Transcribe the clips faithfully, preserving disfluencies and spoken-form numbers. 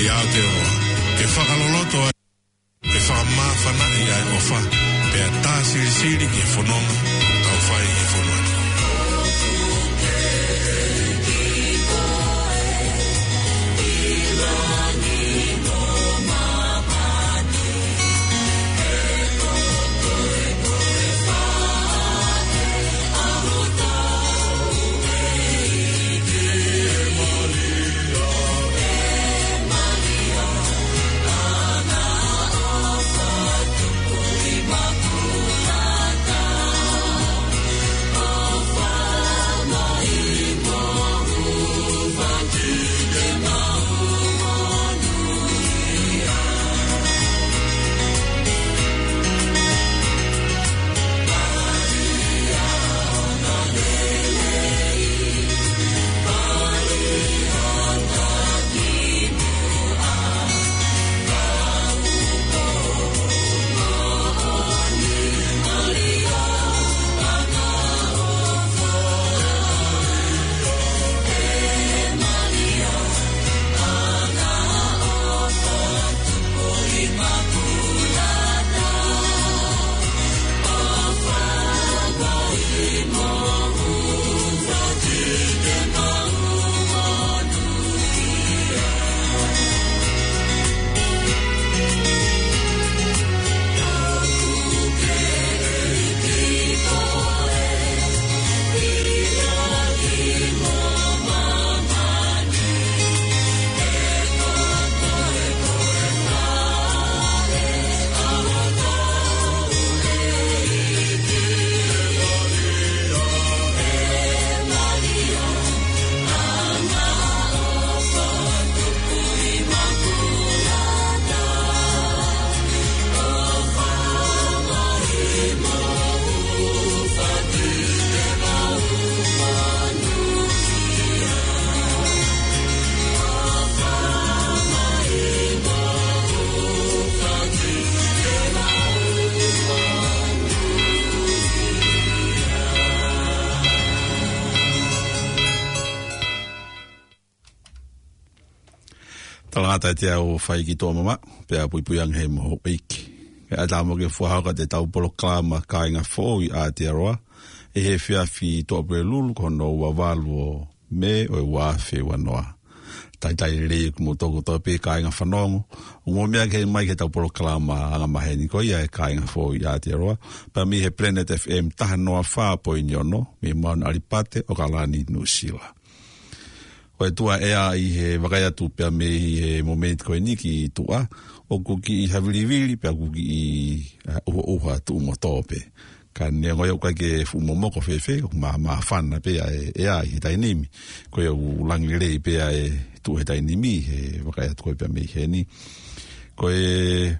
ʻI Aotearoa, ke fakaloloto ai, ke fakamāfanaʻi ʻa e ʻofa, pea tā silisili ki he fononga ʻoku tau fai ʻi he fonua ni. Talangata ʻiate au Faiki Tuʻamamaʻu, pea puipui ange mo houʻeiki. Kae ʻatā mo ke fakahoko atu ʻetau polokalama Kāinga Foʻou ʻi Aotearoa, ʻi he efiafi Tuʻapulelulu ko hono ua valu ʻo Mē ʻo e ua afe ua noa. Talitali lelei kimoutolu kotoa pē kāinga fanongo, ʻoku mou meʻa mai ki heʻetau polokalama angamaheni ko ia e Kāinga Foʻou ʻi Aotearoa, pea mei he Planet F M taha noa fā poini ono, mei Mount ʻAlipate, ʻAokalani, Nuʻusila. Ko e tuʻa ʻea ʻi he vakai atu pea mei he momeniti ko eni ki tuʻa, ʻoku kiʻi havilivili pea ʻoku kiʻi, ʻa, ʻuhaʻuha tuʻu mo tō pē. Ka neongo ia ʻoku ʻikai ke fuʻu momoko fēfē, ʻoku mā, māfana pē ʻa e ʻea ʻi he taimi ni. Ko ia ʻoku langi lelei pē ʻa e tuʻa he taimi ni, he vakai atu ko ē pea mei heni. Ko e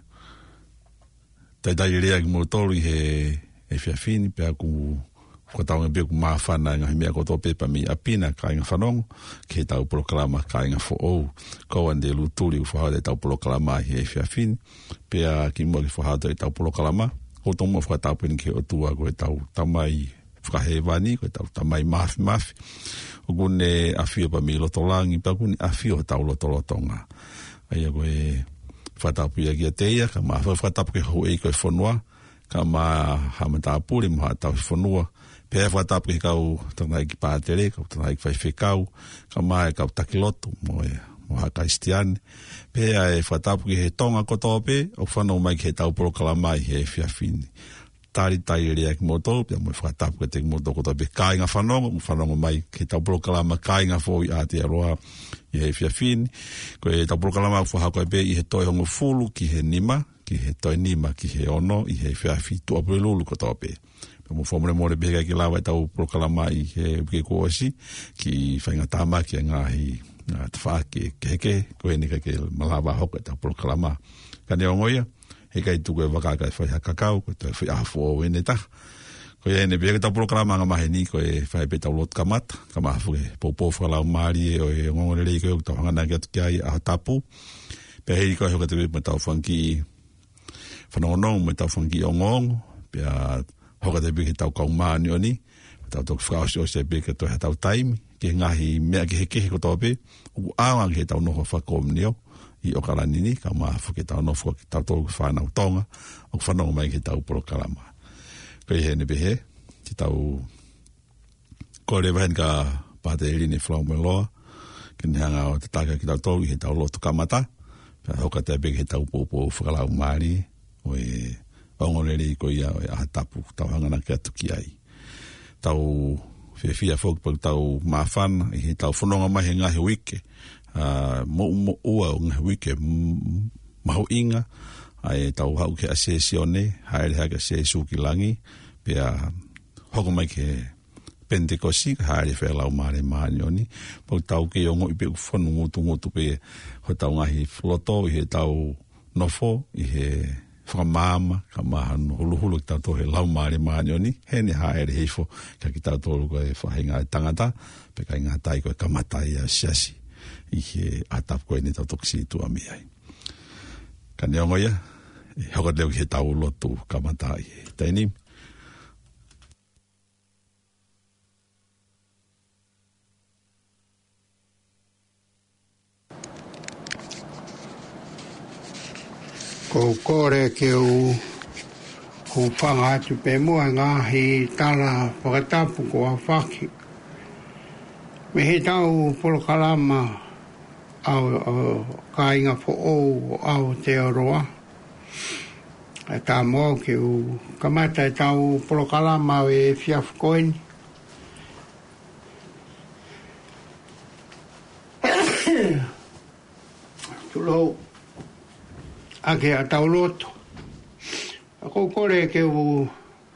talitali lelei kimoutolu ʻi he efiafi ni, pea ʻoku fakatauange pē ʻoku māfana e ngaahi meʻa kotoa pē pea mei ʻapi na kāinga fanongo, ki heʻetau polokalama Kāinga Foʻou. Ko au Ande Lutuli ʻoku fakahoko atu ʻetau polokalama ʻi he efiafi ni, pea kimuʻa ke fakahoko atu ʻetau polokalama, ʻoku ou tomuʻa fakatapu eni ki he ʻOtua ko ʻetau Tamai fakahēvani, ko ʻetau Tamai Māfimafi. ʻOku ne ʻafio pea mei loto langi, pea ʻoku ne ʻafio hotau lotolotonga. ʻA ia ko e fakatapu ia kiate ia, kae ʻumaʻā e fakatapu ki he houʻeiki ʻo e fonua, kae ʻumaʻā haʻa matāpule mo haʻa tauhi fonua. Pea fakatapu ki he kau tangataʻeiki pātele, kau tangataʻeiki faifekau, kae ʻumaʻā e kau taki lotu mo e, mo haʻa Kalisitiane. Pea ʻe fakatapu ki he Tonga kotoa pē ʻoku fanongo mai ki heʻetau polokalama ʻi he efiafi ni. Talitali lelei kimoutolu, pea mo e fakatapu kiate kimoutolu kotoa pē kāinga fanongo, ʻoku fanongo mai ki heʻetau polokalama Kāinga Foʻou ʻi Aotearoa ʻi he efiafi ni. Ko ʻetau polokalama ʻoku fakahoko pē ʻi he toe hongofulu ki he nima, ki he toe nima ki he ono ʻi he efiafi Tuʻapulelulu kotoa pē. Pea mou fakamolemole pē he ʻikai ke lava ʻetau polokalama ʻi he uike kuo ʻosi, ki he faʻahinga tāmaki e ngaahi, ʻa, tafaʻaki kehekehe, ko eni ʻikai ke malava hoko ʻetau polokalama. Ka neongo ia, heʻikai tuku e vaka kae fai ha kakau, ko e toe fai ʻaho foʻou ʻeni ʻe taha. Ko ia ʻeni pē ʻetau polokalama angamaheni, ko e fai pē ʻetau lotu kamata, kae ʻumaʻā foki e poupou fakalaumālie ʻo e ongoongolelei ko ē ʻoku tau hanganaki atu ki ai ʻaho tapu. Pea hili ko ē hoko atu pē mo ʻetau fanga kiʻi fanongonongo mo ʻetau fanga kiʻi ongoongo, pea hoko atu pē ki heʻetau kau māʻoniʻoni, tau toki fakaʻosiʻosi pē ke toe haʻatau taimi, ki he ngaahi meʻa kehekehe kotoa pē ʻoku ʻaonga ki heʻetau nofo fakakomiunio ʻi ʻOkalani ni, kae ʻumaʻā foki ʻetau nofo ʻa kitautolu ko e fānau Tonga ʻoku fanongo mai ki heʻetau polokalama. Ko ia heni pē ʻe, te tau kole leva heni kia Pātele Line Falaumailoa ke ne hanga ʻo tataki kitautolu ʻi heʻetau lotu kamata, pea hoko atu pē ki heʻetau poupou fakalaumālie ʻo e ongoongolelei ko ia ʻo e ʻaho tapu, tau hanga ʻo kau atu ki ai. Tau fiefia foki pea tau māfana ʻi heʻetau fononga mai he ngaahi uike, ʻa, moʻumoʻua ʻo e ngaahi uike, m-, mahuʻinga, ʻa ʻetau haʻu ki he Asēsione, hāʻele hake ʻa Sīsū ki langi, pea hoko mai ki he Penitekosi, hāʻele fai e Laumālie Māʻoniʻoni, pea tau kei ongoʻi pē ʻoku fonu ngutungutu pē hotau ngaahi loto ʻi heʻetau nofo ʻi he fakamaama, kae ʻumaʻā hono huluhulu kitautolu ʻe he Laumālie Māʻoniʻoni, heʻene hāʻele hifo kia kitautolu ko e faʻahinga ʻo e tangata, pea ʻikai ngata ai ko e kamata ia ʻo e siasi ʻi he ʻaho tapu ko eni ʻoku tau toki sītuʻa mei ai. Ka neongo ia, ʻe hoko atu leva ki heʻetau lotu kamata ʻi he taimi ni. ʻOku ou kole ke u hūfanga atu pē muʻa he ngaahi tala fakatapu kuo aofaki mei heʻetau polokalama ʻa e, ʻa e kāinga foʻou ʻo Aotearoa. ʻE tā mo au ke u kamata ʻetau polokalama ʻo e efiafi ko eni. Tulou ʻaki ʻetau lotu. ʻOku ou kole ke u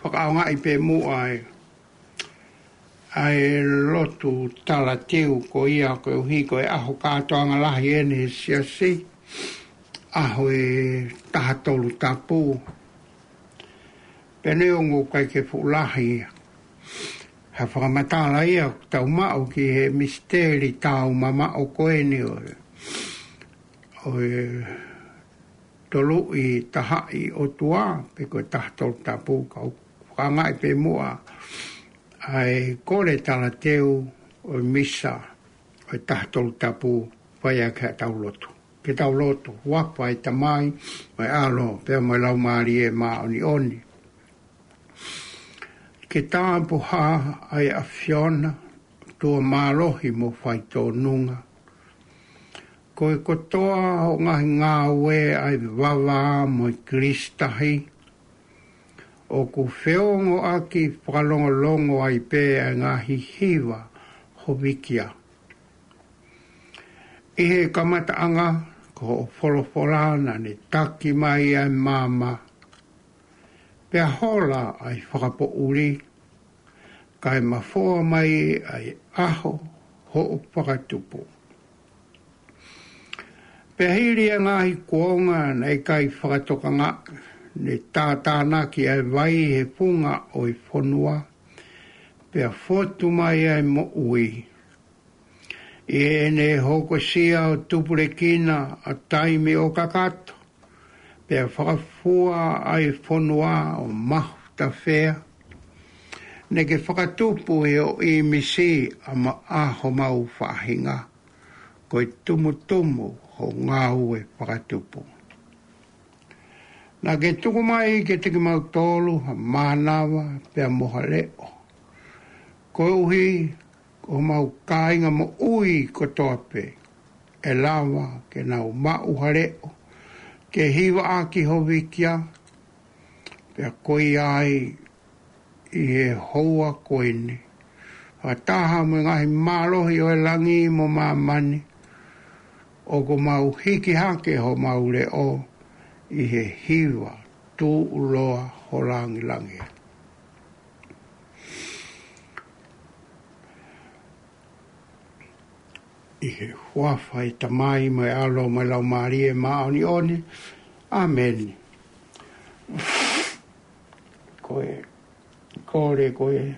fakaʻaongaʻi pē muʻa e ʻa e lotu talateu ko ia koeʻuhi ko e ʻaho kātoanga lahi eni he siasi, ʻaho ʻe taha tolu tapu. Pea neongo ʻoku ʻikai ke fuʻu lahi ia, ha fakamatala ia ʻoku tau maʻu ki he misiteli taumamaʻo ko eni ʻo e, ʻo e Toluʻi Tahaʻi ʻOtua, pe ko e taha tolu tapu, ka u fakaʻaongaʻi pē muʻa ʻa e kole talateu ʻo e misa ʻo e taha tolu tapu, fai ʻaki ʻetau lotu. Ke tau lotu. Huafa ʻo e Tamai, mo e ʻAlo, pea mo e Laumālie Māʻoniʻoni. Ke tāpuhā ʻa e ʻAfiona, ʻOtua mālohi mo faitōnunga. Ko e kotoa hoʻo ngaahi ngāue ʻa e vavā mo e kilisitahi, ʻoku feongoʻaki fakalongolongo ai pē ʻa e ngaahi hiva hovikia. ʻI he kamataʻanga, ko hoʻo folofola naʻa ne taki mai ʻa e maama, pea hola ʻa e fakapoʻuli, kae mafoa mai ʻa e ʻaho hoʻo fakatupu. Pea hili ʻa e ngaahi kuonga naʻe ʻikai fakatokangaʻi, ne tātānaki ʻa e vai he funga ʻo e fonua, pea fotu mai ʻa e moʻui. ʻI heʻene hokosia ʻo tupulekina ʻa e taimi ʻo kakato, pea fakafua ʻa e fonua ʻo mahutafea, naʻa ke fakatupu ʻi hoʻo ʻīmisi ʻa ma-, ʻa homau faʻahinga, ko e tumutumu hoʻo ngāue fakatupu. Naʻa ke tuku mai kiate kimautolu ha mānava pea mo ha leʻo, koeʻuhi ko homau kāinga moʻui kotoa pē, ʻe lava ke nau maʻu ha leʻo ke hivaʻaki hovikia, pea ko ia ai ʻi he houa ko eni, fakataha mo e ngaahi mālohi ʻo e langi mo māmani, ʻoku mau hiki hake homau leʻo ʻi he hiva tuʻuloa ho langilangi. ʻI he huafa ʻo e Tamai mo e ʻAlo mo e Laumālie Māʻoniʻoni. ʻĀmeni. Ko e, kole ko e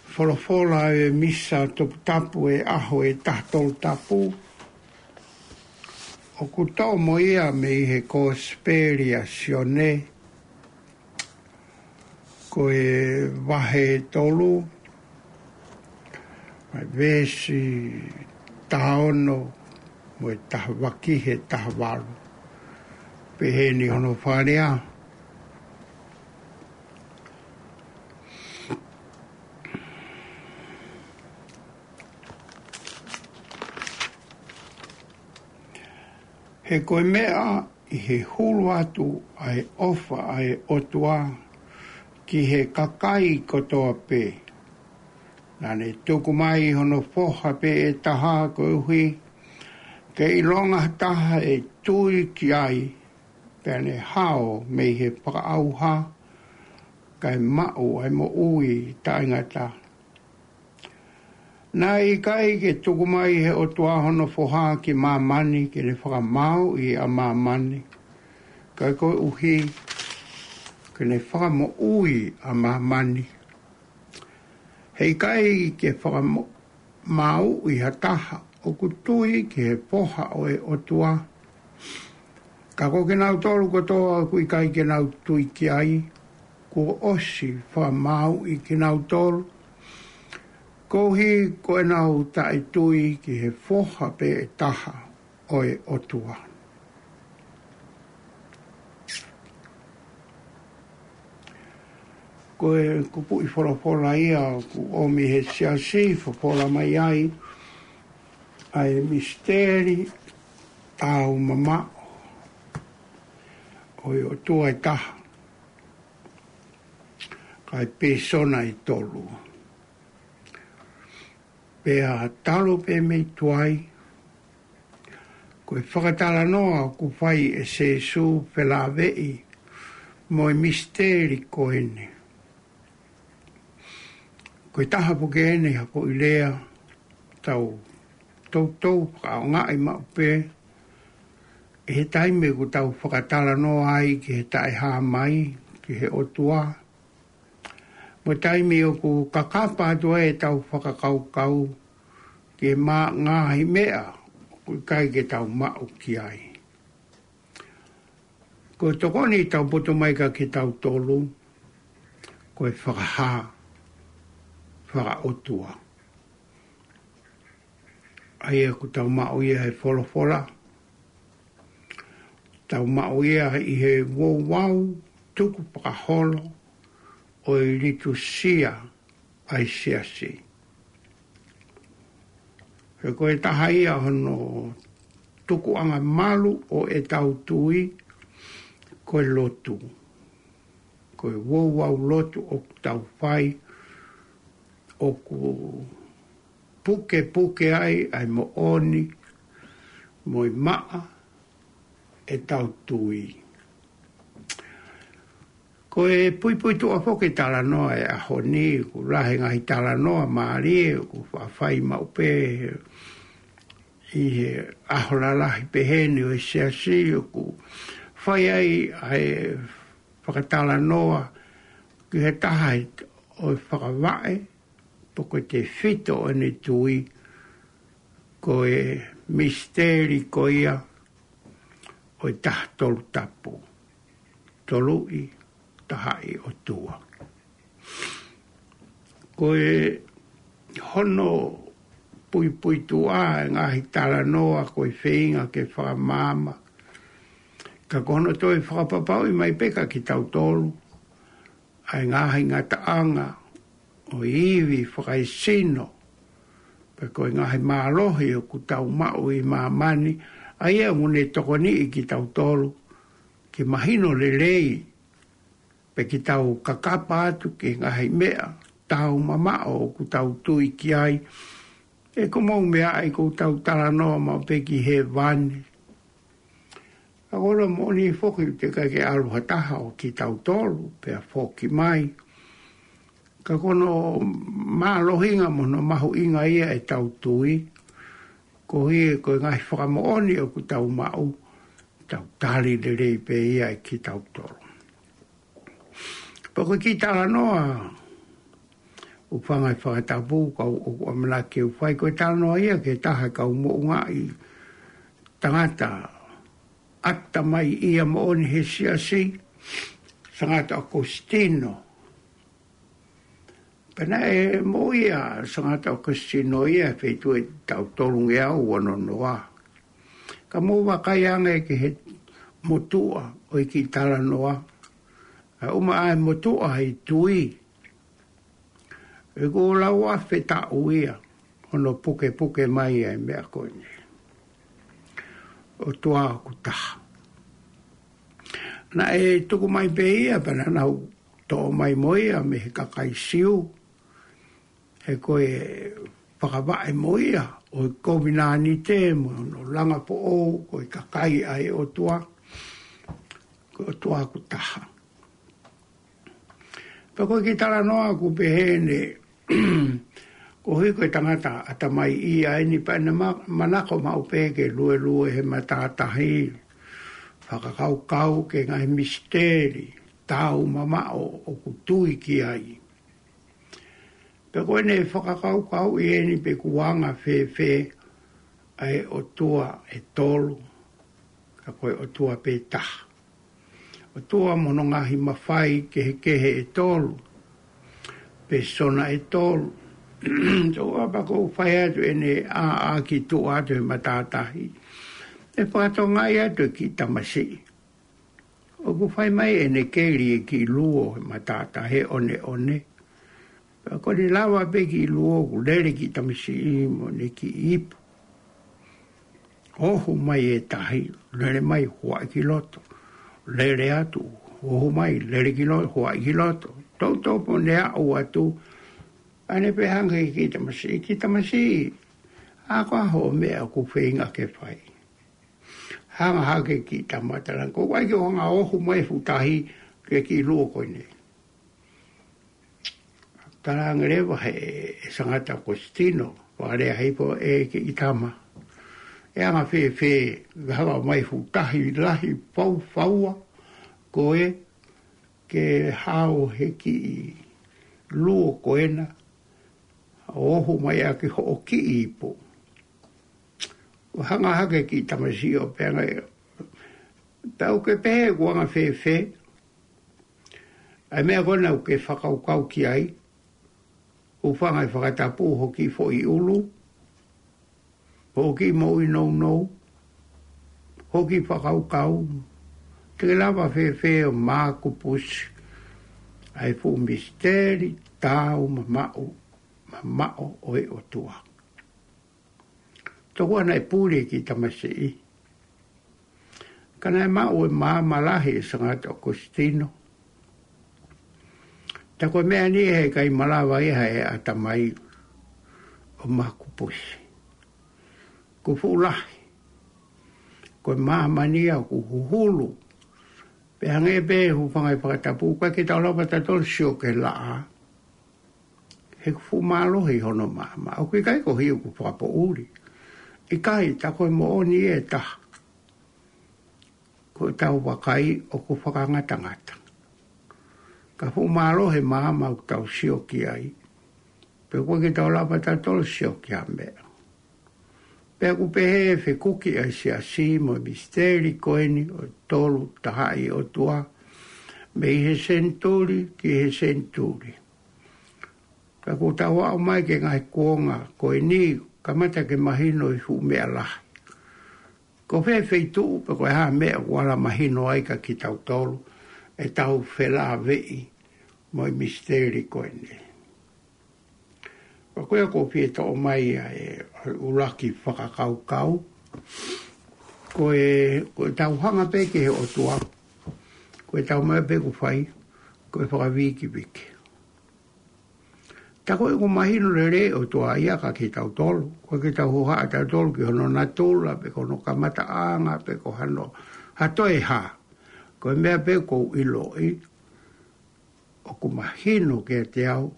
folofola ʻo e misa toputapu ʻo e ʻaho ʻe taha tolu tapu, ʻoku toʻo mo ia mei he Kosipeli ʻa Sione, ko e vahe tolu, Mei he veesi taha ono mo e taha valu ki he taha valu. Peheni hono fakalea. He ko e meʻa ʻi he hulu atu ʻa e ʻofa ʻa e ʻOtua ki he kakai kotoa pē. Naʻa ne tuku mai hono foha pē ʻe taha koeʻuhi ke ʻilonga ha taha ʻe tui ki ai, pea ne hao mei he fakaʻauha, kae maʻu ʻa e moʻui taʻengata. Naʻe ʻikai ke tuku mai he ʻOtua hono foha ki māmani ke ne fakamāuʻi ʻa māmani, kae koeʻuhi ke ne fakamoʻui ʻa māmani. He ʻikai ke fakamāuʻi ha taha ʻoku tui ki he foha ʻo e ʻOtua. Ka ko kinautolu kotoa ʻoku ʻikai ke nau tui ki ai, kuo ʻosi fakamāuʻi kinautolu, koeʻuhi ko ʻenau taʻetui ki he foha pē ʻe taha ʻo e ʻOtua. Ko e kupuʻi folofola ia ʻoku ʻomi he siasi, fofola mai ai ʻa e misiteli taumamaʻo ʻo e ʻOtua ʻe taha, kae pēsona ʻe tolu. Pea talu pē mei tuai, ko e fakatalanoa ʻoku fai ʻe Sīsū felāveʻi mo e misiteli ko eni. Ko e taha pē ke ʻi ai ha foʻi lea, tau toutou fakaʻaongaʻi maʻu pē ʻi he taimi ʻoku tau fakatalanoa ai ki he taʻehāmai ki he ʻOtua, mo e taimi ʻoku kakapa atu ai ʻetau fakakaukau ki he mā-, ngaahi meʻa ʻoku ʻikai ke tau maʻu ki ai. Ko e tokoni tau poto mai kia kitautolu, ko e fakahā fakaʻotua. ʻA ia ʻoku tau maʻu ia he folofola, tau maʻu ia ʻi he ouau tukupakaholo ʻo e litūsia ʻa e siasi. He ko e taha ia hono tukuʻanga malu ʻo ʻetau tui, ko e lotu. Ko e ouau lotu ʻoku tau fai, ʻoku pukepuke ai ʻa e moʻoni mo e maʻa ʻetau tui. Ko e puipuituʻa foki e talanoa ʻo e ʻaho ni, ʻoku lahi e ngaahi talanoa mālie ʻoku faʻa fai maʻu pē ʻi he ʻaho lalahi peheni ʻo e siasi, ʻoku fai ai ʻa e fakatalanoa ki he taha ʻo e fakavaʻe, pe ko e tefito ʻo ʻene tui, ko e misiteli ko ia ʻo e Taha Tolu Tapu, Toluʻi Tahaʻi ʻOtua. Ko e hono puipuituʻa e ngaahi talanoa ko e feinga ke fakamaama, ka ko hono toe fakapapauʻi mai pē kia kitautolu ʻa e ngaahi ngataʻanga ʻo e ivi fakaesino, pe ko e ngaahi mālohi ʻoku tau maʻu ʻi māmani, ʻa ia ʻoku ne tokoniʻi kitautolu ke mahino lelei, pe ke tau kakapa atu ki he ngaahi meʻa taumamaʻo ʻoku tau tui ki ai. ʻE ko e moʻoni meʻa ʻa ia ʻoku tau talanoa maʻu pē ki hēvani. Ka ko hono moʻoni foki ʻoku ʻikai ke ʻalu ha taha ʻo kitautolu pea foki mai. Ka ko hono mālohinga mo hono mahuʻinga ia ʻetau tui, koeʻuhi ko e ngaahi fakamoʻoni ʻoku tau maʻu, tau tali lelei pē ia ʻe kitautolu. Pea ko e kiʻi talanoa ʻoku fanga ʻi he fakatapu, ka ʻoku ʻamanaki ke u fai, ko e talanoa ia ki he taha e kau moʻungaʻi tangata ʻatamai ia moʻoni he siasi, Sangata ʻAokositino. Pea naʻe moʻui ʻa Sangata ʻOkositino ia he feituʻu ʻe taʻu tolungeau uanonoa. Ka mou vakai ange ki he motuʻa ʻo e kiʻi talanoa. ʻA e ʻuma ʻa e motuʻa ʻi he tui. ʻOku lau ʻa e fetaʻu ia, hono pukepuke mai ʻa e meʻa ko eni. ʻOtua ʻoku taha. Naʻe tuku mai pē ia pea naʻa nau toʻo mai mo ia mei he kakai Siu. He ko e fakavaʻe mo ia ʻo e kovinānite mo hono langa foʻou, ko e kakai ʻa e ʻOtua, ko e ʻOtua ʻoku taha. Pea ko e kiʻi talanoa ʻoku pehē ni, koeʻuhi ko e tangata ʻatamai ia eni pea naʻe ma-, manako maʻu pē ke luelue he matātahi, fakakaukau ki he ngaahi misiteli, taumamaʻo ʻoku tui ki ai. Pea ko ʻene fakakaukauʻi eni pe ʻoku anga fēfē ʻa e ʻOtua ʻe tolu, ka ko e ʻOtua pē taha. ʻOtua mo hono ngaahi mafai kehekehe ʻe tolu, pēsona ʻe tolu. Toʻa pea ʻoku fai atu ʻene ʻā, ʻā ki tuʻa atu he matātahi. ʻE fakatokangaʻi atu e kiʻi tamasiʻi. ʻOku fai mai ʻene keli e kiʻi luo he matātahi, ʻoneʻone. Pea ko ʻene lava pē kiʻi luo, ʻoku lele kiʻi tamasiʻi mo ʻene kiʻi ipu. Ohu mai e tahi, lele mai, huaʻi ki loto. Lele atu, ohu mai, lele ki loto, huaʻi ki loto. Toutou pē ʻene aʻu atu, ʻa ʻene pehē ange ki he kiʻi tamasiʻi, kiʻi tamasiʻi, ʻa ko e hā hoʻo meʻa ʻoku feinga ke fai? Hanga hake kiʻi tama, talaange, ko au ke u hanga ʻo ohu mai e fuʻu tahi ki he kiʻi luo ko eni. Talaange leva ʻe he, ʻe Sangata ʻOkositino, fakalea hifo, ʻe kiʻi tama, ʻe anga fēfē ke hanga ʻo ʻomai e fuʻu tahi lahi faufaua ko ē ke hao he kiʻi luo ko ena, ʻo ohu mai ʻaki hoʻo kiʻi ipu? Hanga hake kiʻi tamasiʻi ʻo pehē ange, pea ʻoku ke pehē ʻoku anga fēfē ʻa e meʻa ko ena ʻoku ke fakakaukau ki ai? Hūfanga he fakatapu hoʻo kiʻi foʻi ʻulu, hoʻo kiʻi moʻui nounou, hoʻo kiʻi fakakaukau. Te ke lava fēfē ʻo makupusi ʻa e fuʻu misiteli taumamaʻo, mamaʻo ʻo e ʻOtua? Tokua naʻe puli e kiʻi tamasiʻi, ka naʻe maʻu e maama lahi ʻe Sangata ʻOkositino. Tā ko e meʻa ni he ʻikai malava ia ʻe he ʻatamai ʻo makupusi. Ko e fuʻu lahi. Ko e maama ni ia ʻoku huhulu. Pea hangē pē, hūfanga he fakatapu, ʻoku ʻikai ke tau lava tautolu ʻo sio ki he laʻā. He ʻoku fuʻu mālohi hono maama. ʻOku ʻikai ko e hia ʻoku fakapoʻuli. ʻIkai, tā ko e moʻoni ʻe taha. Ko ʻetau vakai ʻoku fakangatangata. Ka fuʻu mālohi e maama ʻoku tau sio ki ai. Pea ʻoku ʻikai ke tau lava tautolu ʻo sio ki ha meʻa. Pea ʻoku pehē ʻe fekuki ʻa e siasi mo e misiteli ko eni ʻo e Tolu Tahaʻi ʻOtua, mei he senituli ki he senituli. Ka kuo tau aʻu mai ki he ngaahi kuonga ko eni, kamata ke mahino e fuʻu meʻa lahi. Ko fē feituʻu pe ko e hā e meʻa ʻoku ala mahino ai kia kitautolu ʻetau felāveʻi mo e misiteli ko eni. Pea ko ia ʻoku ou fie toʻo mai ʻa e ʻuluaki fakakaukau. Ko e, ko ʻetau hanga pē ki he ʻOtua, ko ʻetau meʻa pē ʻoku fai, ko e fakavīkiviki. Tā ko ē ʻoku mahino lelei e ʻOtua ia kia kitautolu, ʻoku ʻikai ke tau hohaʻa tautolu ki hono natula, pe ko hono kamataʻanga, pe ko hano, ha toe hā. Ko e meʻa pē ʻoku ou ʻiloʻi, ʻoku mahino kiate au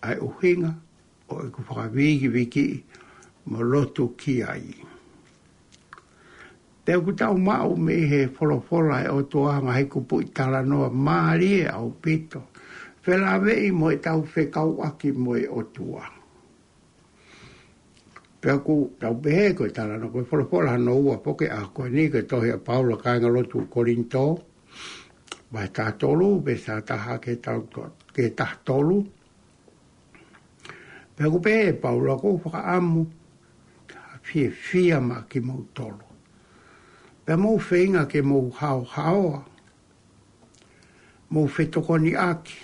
ʻa e ʻuhinga ʻo ʻeku fakavīkivikiʻi mo lotu ki ai. Pea ʻoku tau maʻu mei he folofola ʻa e ʻOtua ha ngaahi kupuʻi talanoa mālie ʻaupito, felāveʻi mo ʻetau fekauʻaki mo e ʻOtua. Pea ʻoku tau pehē ko e talanoa, ko e folofola hono ua foki ʻa ko eni, ko e tohi ʻa Paula ki he kāingalotu Kolinitō, vahe taha tolu, veesi taha taha ki he tau to-, ki he taha tolu. Pea ʻoku pehē ʻe Paula, ʻoku ou fakaʻamu ke fiefia maʻa kimoutolu. Pea mou feinga ke mou haohaoa, mou fetokoniʻaki,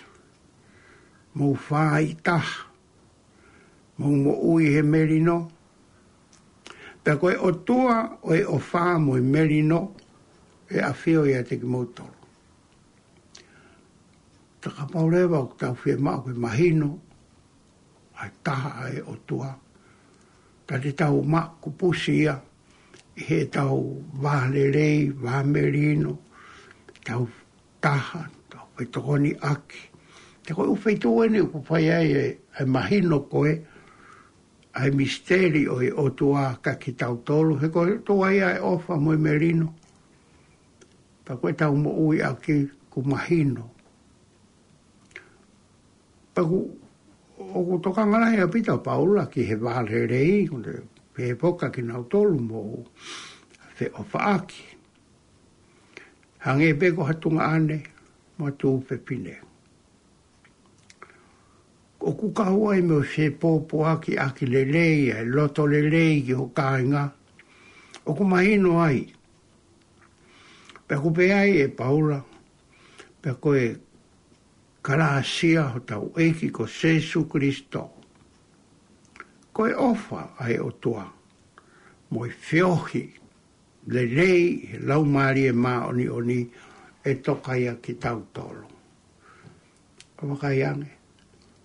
mou fāitaha, mou moʻui he melino. Pea ko e ʻOtua ʻo e ʻofa mo e melino ʻe ʻafio ʻiate kimoutolu. Ka kapau leva ʻoku tau fiemaʻu ke mahino ʻa e taha ʻa e ʻOtua, ka te tau makupusi ia ʻi heʻetau vālelei, vāmelino, tau taha, tau fetokoniʻaki. Te ko e ʻū feituʻu eni ʻoku fai ai e, e mahino ko ē ʻa e misiteli ʻo e ʻOtua kiate kitautolu, he ko e ʻOtua ia ʻe ʻofa mo e melino. Pea ko ʻetau moʻui ʻaki ʻoku mahino. Pea ʻoku, ʻoku tokanga lahi ʻaupito ʻa Paula ki he vālelei, ʻoku ne pehē foki kiate kinautolu mou feʻofaʻaki. Hangē pē ko ha tuongaʻane mo ha tuofefine. ʻOku kau ai mo e fepōpoaki ʻaki lelei, ʻa e loto lelei ki ho kāinga. ʻOku mahino ai. Pea ʻoku pehē ai ʻe Paula, pea ko e kalāsia hotau ʻEiki ko Sīsū Kalaisi. Ko e ʻofa ʻa e ʻOtua, mo e feohi lelei ʻa e Laumālie Māʻoniʻoni ʻe toka ia kiate kitautolu. ʻA vakai ange.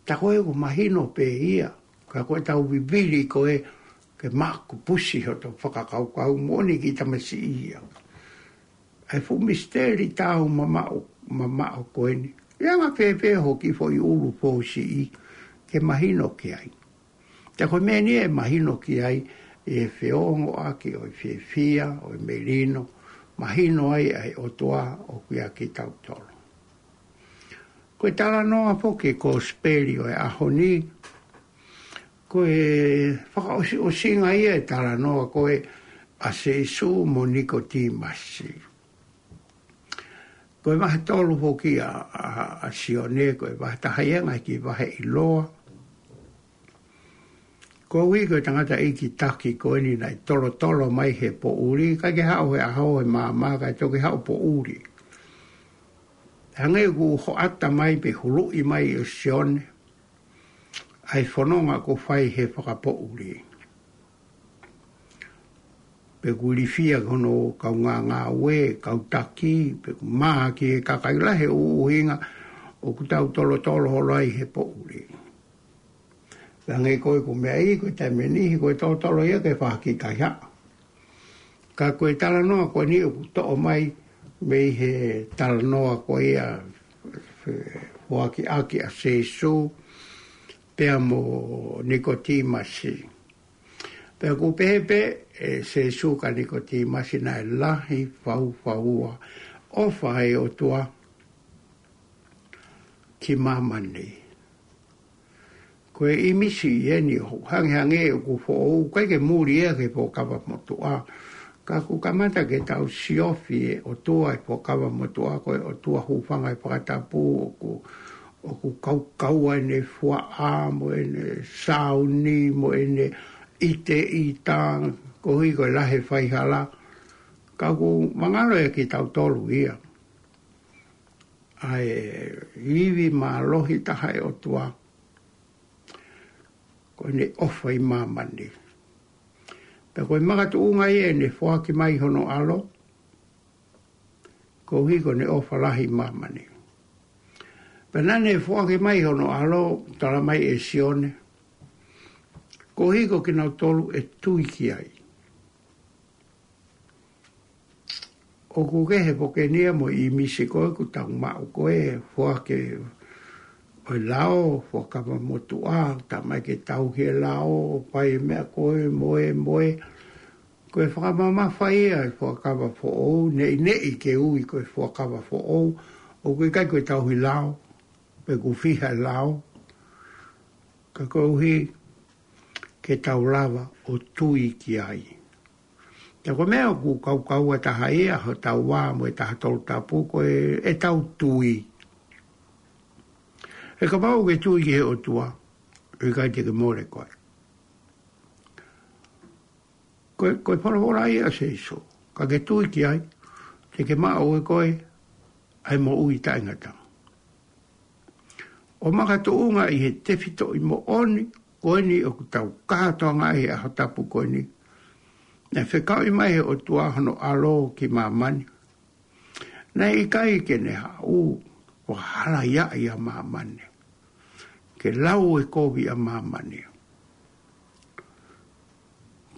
Tā ko ē ʻoku mahino pē ia, ka ko ʻetau vivili ko ē ke makupusi hotau fakakaukau moʻoni ki tamasiʻi ia. ʻA e fuʻu misiteli taumamaʻo, mamaʻo ko eni. ʻE anga fēfē hoʻo kiʻi foʻi ʻulu fōsiʻi ke mahino ki ai. Ka ko e meʻa eni ʻe mahino ki ai ʻa e feongoʻaki ʻo e fiefia, ʻo e melino, mahino ai ʻa e ʻOtua ʻoku ʻiate kitautolu. Ko e talanoa foki ʻo e kosipeli ʻo e ʻaho ni, ko e fakaʻosiʻosinga ia ʻo e talanoa ko ē ʻa Sīsū mo Nikotīmasi. Ko e vahe tolu foki ʻa, ʻa, ʻa Sione, ko e vahe taha ia ʻa e ngaahi kiʻi vahe ʻiloa. Koeʻuhi ko e tangataʻeiki taki ko eni naʻe tolotolo mai he poʻuli, ʻikai ke haʻu he ʻaho he maama, kae toki haʻu poʻuli. Hangē ʻoku hoʻata mai pe huluʻi mai ʻe Sione ʻa e fononga ʻoku fai he fakapoʻuli. Pe ʻoku ilifia ki hono kaungāngāue, kau taki, pe ʻoku mā ki he kakai lahi, ʻuhinga ʻoku tau tolotolo holo ai he poʻuli. Hangē ko ē ʻoku meʻa ʻi, ko e taimi ʻe niʻihi ko e tolotolo ia ke fakakikihi. Ka ko e talanoa ko eni ʻoku toʻo mai mei he talanoa ko ia ʻa e foaki ʻaki ʻa Sīsū pea mo Nikotīmasi. Pea ʻoku pehē pē ʻe Sīsū kia Nikotīmasi naʻe lahi faufaua ʻofa ʻa e ʻOtua ki māmani. Ko e ʻīmisi eni ʻoku hangehangē ʻoku foʻou, ʻikai ke muli ia ki he Fuakava Motuʻa. Ka ʻoku kamata ke tau siofi ʻa e ʻOtua ʻi he Fuakava Motuʻa, ko e ʻOtua hūfanga he fakatapu, ʻoku, ʻoku kaukaua ʻene fuaʻa, mo ʻene sāuni, mo ʻene ʻiteʻita, koeʻuhi ko e lahi e faihala. Ka ʻoku mangalo ia kiate kitautolu ia ʻa e ivi mālohi taha ʻo e ʻOtua, ko ʻene ʻofa ʻi māmani. Pea ko e makatuʻunga ia ʻene foaki mai hono ʻAlo, koeʻuhi ko ʻene ʻofa lahi ʻi māmani. Pea naʻa ne foaki mai hono ʻAlo, tala mai ʻe Sione, koeʻuhi ko kinautolu ʻe tui ki ai. ʻOku kehe foki eni ia mo e ʻīmisi ko ē ʻoku tau maʻu ko ē, foaki ʻo e lao, Fuakava Motuʻa, tā mai ke tauhi e lao, fai e meʻa ko ē, mo e, mo e. Ko e fakamamafa ia ʻa e Fuakava Foʻou, neʻineʻi ke ui ko e Fuakava Foʻou, ʻoku ʻikai ko e tauhi lao, pe ʻoku fiha e lao, ka koeʻuhi ke tau lava ʻo tui ki ai. Ka ko e meʻa ʻoku kaukaua taha ia, hotau vā mo e taha tolu tapu, ko e, ʻetau tui. He kapau ʻoku ke tui ki he ʻOtua, ʻIkai te ke mole koe. Ko e, ko e folofola ia ʻa Sēsū. Ka ke tui ki ai, te ke maʻu ʻe koe ʻa e moʻui taʻengata. ʻO makatuʻunga ʻi he tefitoʻi moʻoni ko eni ʻoku tau kātoanga ai he ʻaho tapu ko eni. Naʻe fekauʻi mai he ʻOtua hono ʻAlo ki māmani. Naʻe ʻikai ke ne haʻu ʻo fakahalaia ʻa māmani, ke lau e kovi ʻa māmani.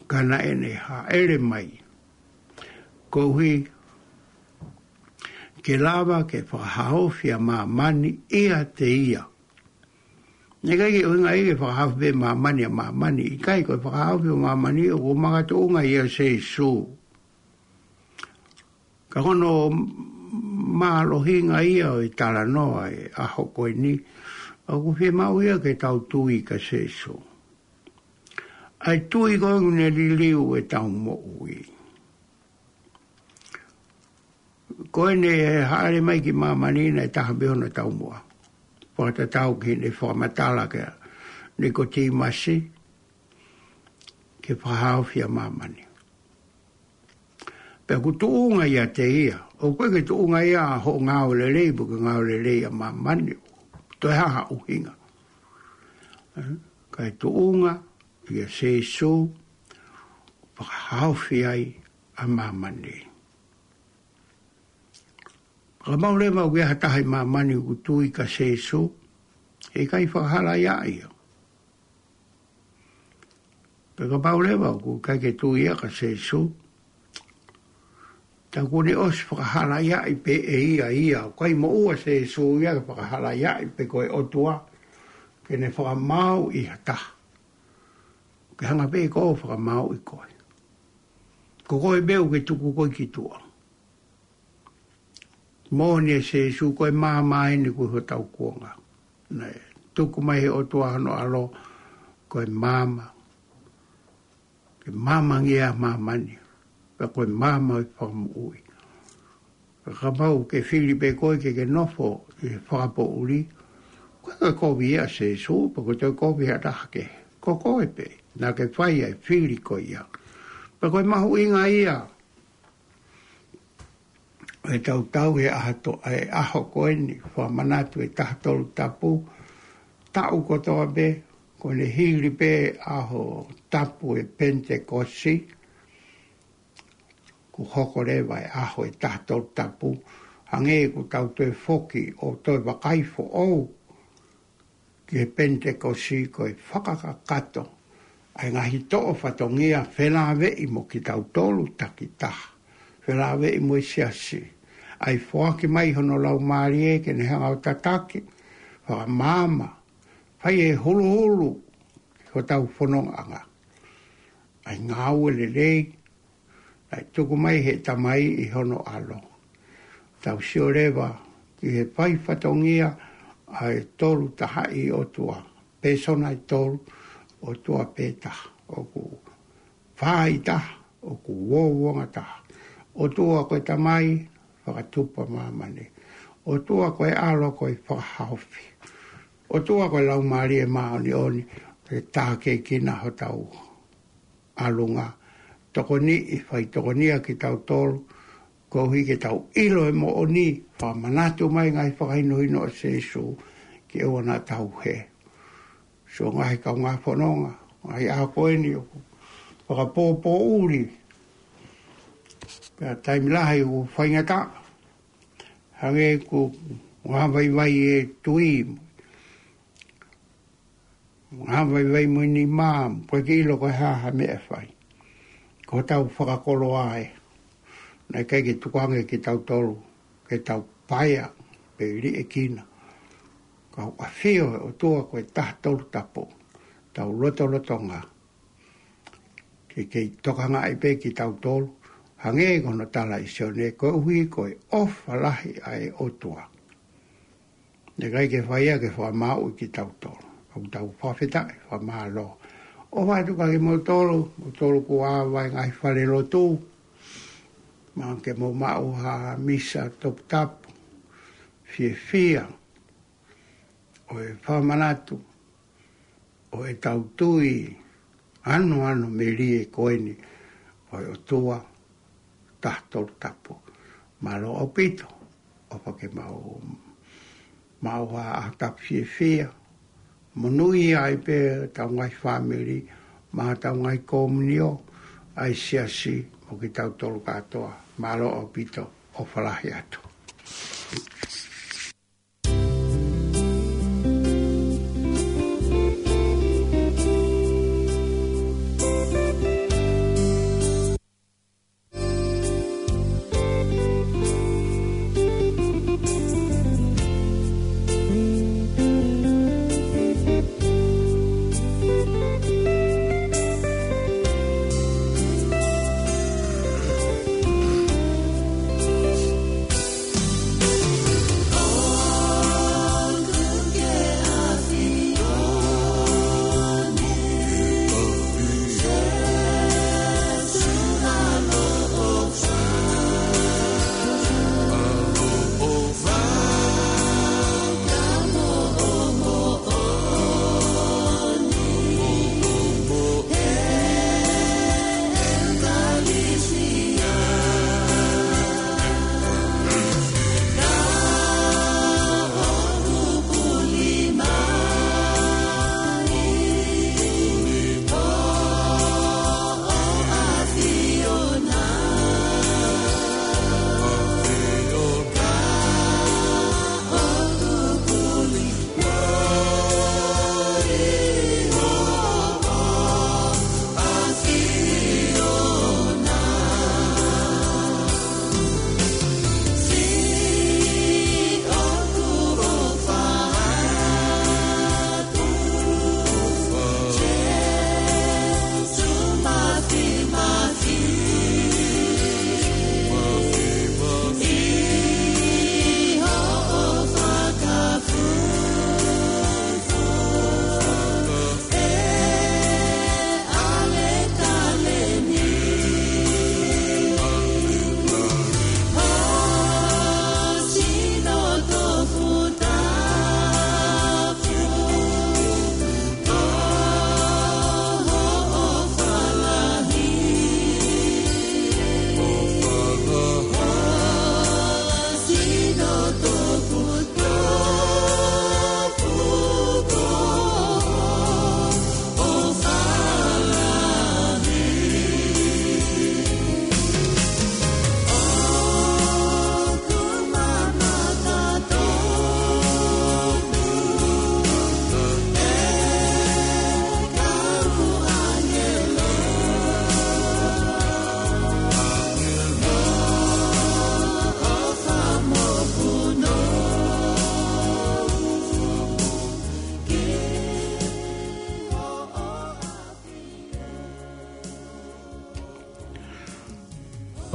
Ka naʻe ne hāʻele mai koeʻuhi ke lava ke fakahaofi ʻa māmani ʻiate ia. Naʻe ʻikai ke ʻuhinga ia ke fakahaofi pē māmani ʻa māmani, ʻikai, ko e fakahaofi ʻo māmani ʻoku makatuʻunga ia Sēsū. Ka ko hono mālohinga ia ʻo e talanoa ʻo e ʻaho ko eni, ʻoku fiemaʻu ia ke tau tui kia Sēsū. ʻA e tui ko ē ʻoku ne liliu ʻetau moʻui. Ko ʻene hāʻele mai ki māmani naʻe taha pē hono taumuʻa. Fakatatau ki heʻene fakamatala kia Nikotīmasi, ke fakahaofi ʻa māmani. Pea ʻoku tuʻunga ʻiate ia, ʻoku ʻikai ke tuʻunga ia ʻa hoʻo ngāue lelei, pe ko e ngāue lelei ʻa māmani, toe ha ʻuhinga. Eh, ka ʻoku tuʻunga ia Sēsū, fakahaofi ai ʻa māmani. Ka mau leva ʻoku ʻi ai ha taha ʻi māmani ʻoku tui kia Sēsū, heʻikai fakahalaia ia. Pea kapau leva ʻoku ʻikai ke tui ia kia Sēsū, tā kuo ne ʻosi fakahalaia pē ʻe ia ia, ʻoku ʻikai moʻua Sēsū ia ke fakahalaia pē ko e ʻOtua, ke ne fakamaauʻi ha taha. Ke hanga pē ko ʻo fakamaauʻi koe. Ko koe pē ʻoku ke tuku koe ki tuʻa. Moʻoni ʻa Sēsū ko e maama eni ʻoku hotau kuonga. Naʻe tuku mai he ʻOtua hono ʻAlo ko e maama. Ke maamangia ʻa māmani. Pea ko e maama ʻo e fakamoʻui. Pea kapau ʻoku ke fili pē koe ke ke nofo ʻi he fakapoʻuli, ʻoku ʻikai ke kovi ia ʻa Sēsū, pea ko e toe kovi ha taha kehe. Ko koe pē, naʻa ke fai ʻa e fili ko ia. Pea ko e mahuʻinga ia ʻo e tautau he ʻaho to-, he ʻaho ko eni, fakamanatu e taha tolu tapu, taʻu kotoa pē, ko ʻene hili pē ʻaho tapu e Penitekosi, kuo hoko leva e ʻaho e taha tolu tapu, hangē ʻoku tau toe foki ʻo toe vakai foʻou ki he Penitekosi ko e fakakakato ʻa e ngaahi toʻo fatongia felāveʻi mo kitautolu takitaha, felāveʻi mo e siasi, ʻa e foaki mai hono Laumālie ke ne hanga ʻo tataki, fakamaama, fai e huluhulu ki hotau fonongaʻanga. ʻA e ngāue lelei, naʻe tuku mai he Tamai ʻi hono ʻAlo. Tau sio leva ki he fai fatongia ʻa e Tolu Tahaʻi ʻOtua. Pēsona ʻe tolu, ʻOtua pē taha. ʻOku fā ʻi taha, ʻoku uouangataha. ʻOtua ko e Tamai, fakatupu ʻa māmani. ʻOtua ko e ʻAlo ko e fakahaofi. ʻOtua ko e Laumālie Māʻoniʻoni, ke tākiekina hotau ʻalunga. Tokoniʻi, fai tokonia kitautolu, koeʻuhi ke tau ʻilo e moʻoni, fakamanatu mai ngaahi fakahinohino ʻa Sēsū, ke ʻoua naʻa tau hē. Sio ngaahi kaungā fononga, ngaahi ʻaho ko eni ʻoku fakapōpōʻuli. Pea taimi lahi ʻoku faingataʻa. Hangē ʻoku ngā vaivai e tui. Ngā vaivai mo e nima, ʻoku ʻikai ke ʻilo ko e hā ha meʻa ʻe fai. Ko hotau fakakoloa ē. Naʻe ʻikai ke tukuange kitautolu, ke tau paea, pe liʻekina. Ka ʻoku ʻafio e ʻOtua ko e taha tolu tapu. Tau lotolotonga. Ke kei tokangaʻi pē kitautolu. Hangē ko hono tala ʻe Sione koeʻuhi ko e ʻofa lahi ʻa e ʻOtua. Naʻe ʻikai ke fai ia ke fakamāuʻi kitautolu. ʻOku tau fakafetaʻi, fakamālō. ʻOfa atu kiate kimoutolu, moutolu kuo ava he ngaahi fale lotu. Mahalo ke mou maʻu ha misa toputapu. Fiefia. ʻO e fakamanatu. ʻo e tau tui ʻanoʻano melie ko eni ʻo e ʻOtua Taha Tolu Tapu. Mālō ʻaupito, ʻofa ke mau, mau ʻa, ʻa tapu fiefia. Monūʻia ai pē ʻetau ngaahi fāmili, mo ʻetau ngaahi komiunitī, ʻa e siasi, mo kitautolu kātoa. Mālō ʻaupito, ʻofa lahi atu.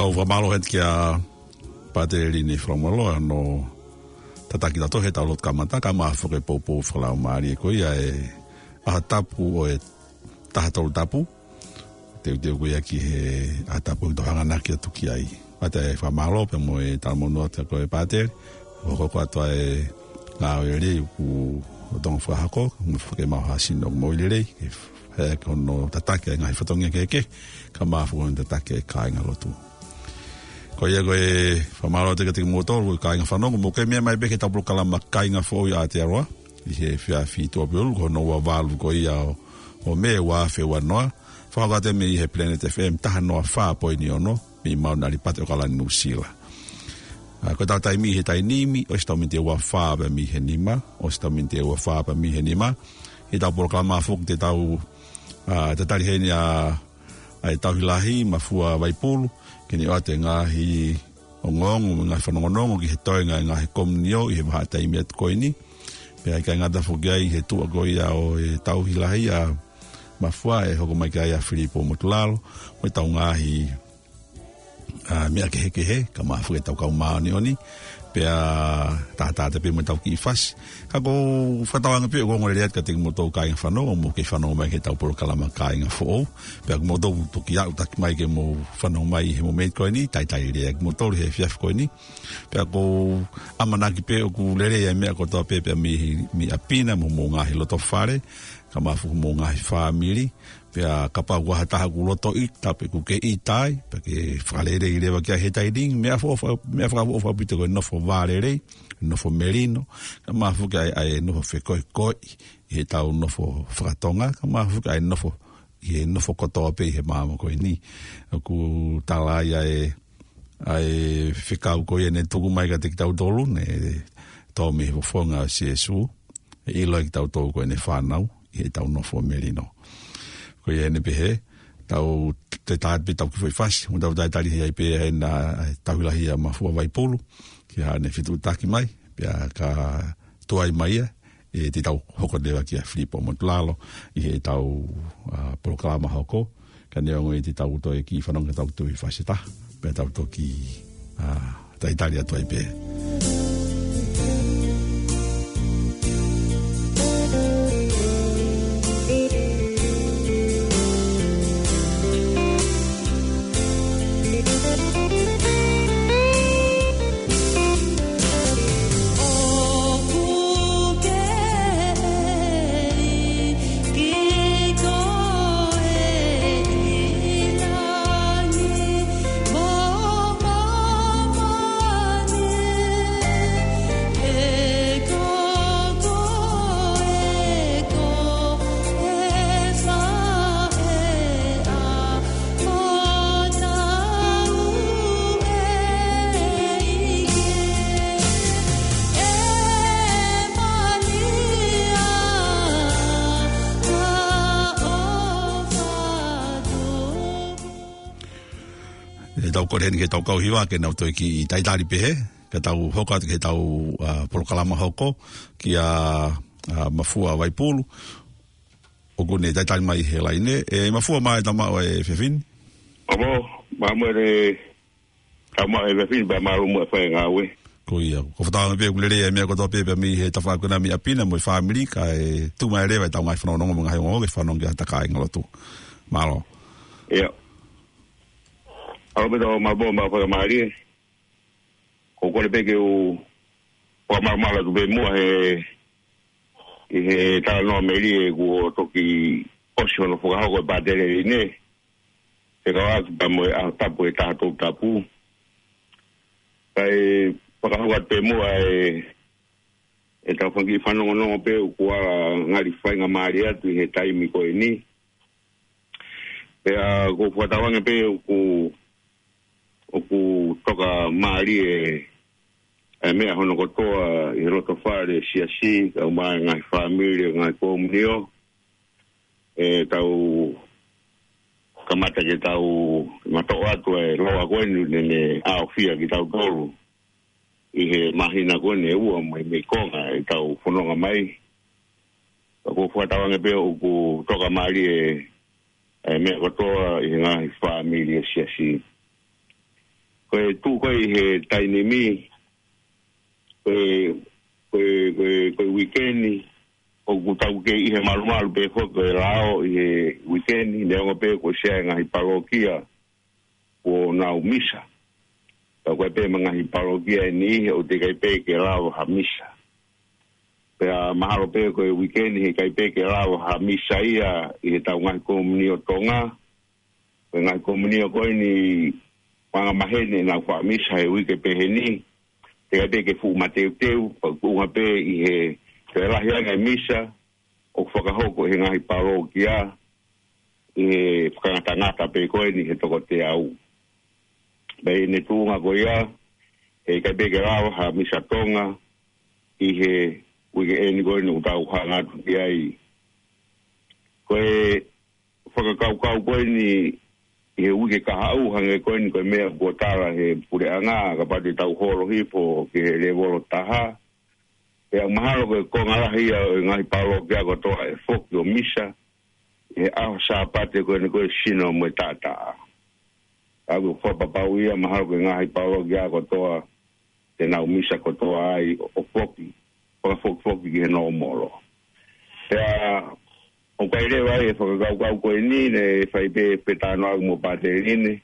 ʻOku fakamālō heni kia Pātele Lini Falaumalo, ʻa hono tataki tautolu he tau lotu kamata, kae ʻumaʻā foki e poupou fakalaumālie ko ia e ʻaho tapu ʻo e Taha Tolu Tapu. Teuteu ko ia ki he ʻaho tapu ʻoku tau hanganaki atu ki ai. Pea ʻoku fakamālō pea mo e talamonū atu ko e Pātele, ʻoku hoko atu ʻa e ngāue lelei ʻoku lolotonga fakahoko, mo e fakemāhasino mo e lelei, ke ʻai ke hono tataki ʻa e ngaahi fatongia kehekehe, kae ʻumaʻā foki hono tataki ʻa e kāinga lotu. Ko ia ko e fakamālō atu kiate kimoutolu, ko e kāinga fanongo, mou kei meʻa mai pē ki heʻetau polokalama Kāinga Foʻou ʻi Aotearoa, ʻi he efiafi Tuʻapulelulu, ko hono ua valu ko ia ʻo, ʻo Mē ua afe ua noa, fakahoko atu mei he Planet F M taha noa fā poini ono, mei Mauna ʻAlipate ʻAokalani Nuʻusila. ʻA, ko ʻetau taimi he taimi ni, ʻosi ʻetau miniti ʻe ua fā pē mei he nima, ʻosi ʻetau miniti ʻe ua fā pē mei he nima, heʻetau polokalama foki te tau, ʻa, tatali heni ʻa, ʻa e tauhi lahi, Mafua Vaipulu, ke ne ʻoatu e ngaahi ongoongo, mo e ngaahi fanongonongo ki he toenga e ngaahi komiunitī ʻi he vahaʻa taimi atu ko eni. Pea ʻikai ngata foki ai he tuʻa ko ia ʻo e tauhi lahi ʻa Mafua ʻe hoko mai ki ai ʻa Filipo Motulalo, mo ʻetau ngaahi, ʻa, meʻa kehekehe, kae ʻumaʻā foki ʻetau kau māʻoniʻoni, pea tātātā pē mo ʻetau kiʻi fasi. Ka ʻoku ou fakatauange pē ʻoku ongo lelei atu kiate kimoutolu kāinga fanongo, mou kei fanongo mai ki heʻetau polokalama Kāinga Foʻou. Pea ko kimoutolu toki aʻutaki mai ke mou fanongo mai he momeniti ko eni, talitali lelei kimoutolu he efiafi ko eni. Pea ʻoku ou ʻamanaki pē ʻoku lelei ʻa e meʻa kotoa pē, pea mei, mei ʻapi na mo homou ngaahi loto fale. Ka mafuka mo e ngaahi fāmili, pea kapau ko ha taha ʻoku loto ʻita, pe ʻoku ke ʻita ai, pea ke fakalelei leva ki ai he taimi ni, meʻa fo-, fa-, meʻa fakaʻofoʻofa ʻaupito ko e nofo vālelei, nofo melino, ka mafuka ai, ʻa e nofo fekoekoeʻi, ʻi heʻetau nofo fakatonga, ka mafuka ai nofo, ʻi he nofo kotoa pē ʻi he māmani ko eni. ʻOku tala ai ʻa e, ʻa e fekau ko ia ne tuku mai kiate kitautolu, ne tō mei he fofonga ʻo Sīsū, ʻe ʻilo ʻe kitautolu ko ʻene fānau, ʻi heʻetau nofo melino. Ko ia ʻene pehē, tau te tāpē tau kiʻi foʻi fasi, mo tau talitali ai pē ʻa e na, ʻa e tauhi lahi ʻa Mafua Vaipulu, ki haʻane fetuʻutaki mai, pea ka tuai mai ia, ʻe te tau hoko leva kia Filipo Motulalo, ʻi heʻetau, ʻa, polokalama hoko, ka neongo ʻe te tau toe kiʻi fanongo ki heʻetau kiʻi fasi ʻe taha, pea tau toki, ʻa, talitali atu ai pē. ʻE tau kole heni ki heʻetau kau hiva ke nau toe kiʻi talitali pehē, ka tau hoko atu ki heʻetau, ʻa, polokalama hoko kia, ʻa, Mafua Vaipulu. ʻOku ne talitali mai he laine. ʻE Mafua, mālō e tau maʻu e efiafi ni. ʻApo, mālō e tau maʻu e efiafi ni, pea mālō muʻa e fai e ngāue. Ko ia, ko e fakatauange pē ʻoku lelei e meʻa kotoa pē, pea mei he tafaʻaki ko ena mei ʻapi na mo e fāmili, kae tuku mai leva ʻetau ngaahi fanongonongo mo e ngaahi ongoongo ke fanongo ki ha takai ngalotu. Mālō. ʻIo. ʻAlu pē tau maʻu pē ʻemau faingamālie. ʻOku ou kole pē ke u fakamalumalu atu pē muʻa he, ʻi he talanoa melie kuo toki ʻosi hono fakahoko ʻe Pātele Line, fekauʻaki pea mo e ʻaho tapu ʻe taha Tolu Tapu. Kae fakahoko atu pē muʻa e, ʻetau fanga kiʻi fanongonongo pē ʻoku ala ngali faingamālie atu ʻi he taimi ko eni. Pea ʻoku ou fakatauange pē ʻoku, ʻoku toka mālie e, e meʻa hono kotoa ʻi he loto fale, siasi, kae ʻumaʻā e ngaahi fāmili, ngaahi komiunitī. ʻE tau kamata ke tau matoʻo atu e loa ko eni ne, ne ʻaofia kitautolu ʻi he māhina ko eni ʻe ua mai mei konga ʻetau fononga mai. Ka ʻoku ou fakatauange pē ʻoku toka mālie e, e meʻa kotoa ʻi he ngaahi fāmili ʻo e siasi. Ko e tuʻu ko ē ʻi he taimi ni, ko e, ko e, ko e, ko e uike ni, ʻoku tau kei ʻi he malumalu pē foki ko e lao ʻi he uike ni, neongo pē kuo ʻosi ʻi ai e ngaahi palokia kuo nau misa. Ka ko e pē mo e ngaahi palokia ʻe niʻihi ʻoku teʻeki ai pē ke lava ha misa. Pea mahalo pē ko e uike ni heʻikai pē ke lava ha misa ia ʻi heʻetau ngaahi komiunitī ʻo Tonga. Ko e ngaahi komiunitī ko eni ʻoku angamaheni ʻenau faʻa misa he uike pehē ni. Teʻeki ai pē ke fuʻu mateuteu, pea ʻoku ʻuhinga pē ʻi he toe lahi ange e misa ʻoku fakahoko ʻe he ngaahi palokia, ʻi he fakangatangata pē ko eni he toko teau. Pea ʻi heʻene tuʻunga ko ia, heʻikai pē ke lava ha misa Tonga ʻi he uike eni ko eni ʻoku tau hanga atu ki ai. Ko e fakakaukau ko eni ʻi he uike kahaʻu, hangē ko eni ko e meʻa kuo tala ʻe he puleʻanga, kapau te tau holo hifo ki he lēvolo taha, pea mahalo ko e konga lahi ia ʻo e ngaahi palokia kotoa ʻe foki ʻo misa ʻi he ʻaho Sāpate ko eni ko e sino mo e taʻataʻa. Ka ʻoku ou fakapapauʻi ia mahalo ko e ngaahi palokia kotoa te nau misa kotoa ai ʻo foki, fakafokifoki ki he nōmolo. Pea ʻoku ʻi ai leva e fakakaukau ko eni ne fai pē, pē talanoa mo Pātele Line.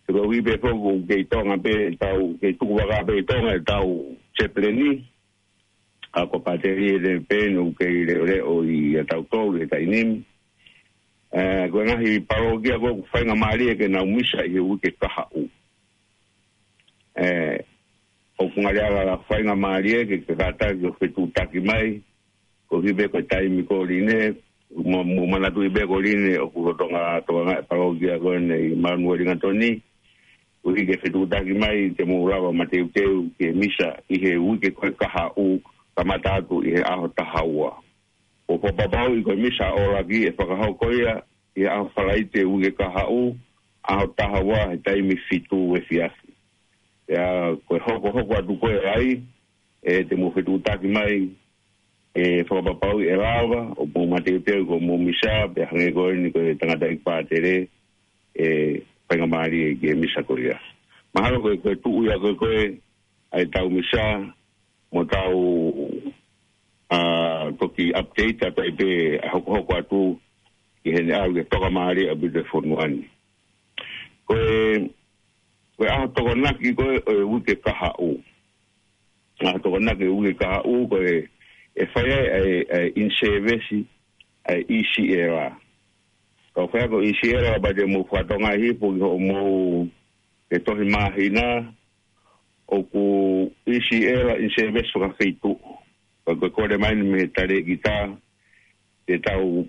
He koeʻuhi pē foki ʻoku kei Tonga pē ʻetau, kei tuku vaka pē ʻi Tonga ʻetau chaplain ni. ʻa ko Pātele ʻEne Peni ʻoku kei leʻoleʻo ʻiate kitautolu he taimi ni. ʻE, ko e ngaahi palōkia ko ē ʻoku faingamālie ke nau misa ʻi he uike kahaʻu. ʻE, ʻoku ngali ala faingamālie ke, ke kātaki ʻo fetuʻutaki mai, koeʻuhi pē ko e taimi ko eni, mo, mo manatuʻi pē ko eni, ʻoku lolotonga tokangaʻi e palōkia ko eni ʻi Manueli Ngatoni, koeʻuhi ke fetuʻutaki mai, te mou lava ʻo mateuteu ke misa ʻi he uike ko ē kahaʻu, kamata atu ʻi he ʻaho taha ua. ʻOku fakapapauʻi ko e misa ʻo e ʻaho ni ʻe fakahoko ia ʻi he ʻaho Falaite uike kahaʻu, ʻaho taha ua he taimi fitu efiafi. Pea ko e hokohoko atu ko ē ai, ʻe te mou fetuʻutaki mai, ʻe fakapapauʻi ʻe lava, ʻo mou mateuteu ko hoʻomou misa, pea hangē ko eni ko e tangataʻeiki pātele, ʻe faingamālie ke misa ko ia. Mahalo ko e, ko e tuʻu ia ko ē, ko e, ʻa ʻetau misa, mo tau, ʻa, toki update atu ai pē ʻa e hokohoko atu ki heʻene ʻalu ke tokamālie ʻaupito e fonua ni. Ko e, ko e ʻaho Tokonaki ko ē ʻo e uike kahaʻu. ʻAho Tokonaki uike kahaʻu ko ē ʻe fai ai ʻa e, ʻa e in-service ʻa e ʻi si ela. Ka ʻoku fai ko e ʻi si ela, kapau te mou fakatokangaʻi hifo ki hoʻomou, he tohi māhina, ʻoku ʻi si ela in-service fakafeituʻu. Ka ko e kole mai eni mei he talēkita, te tau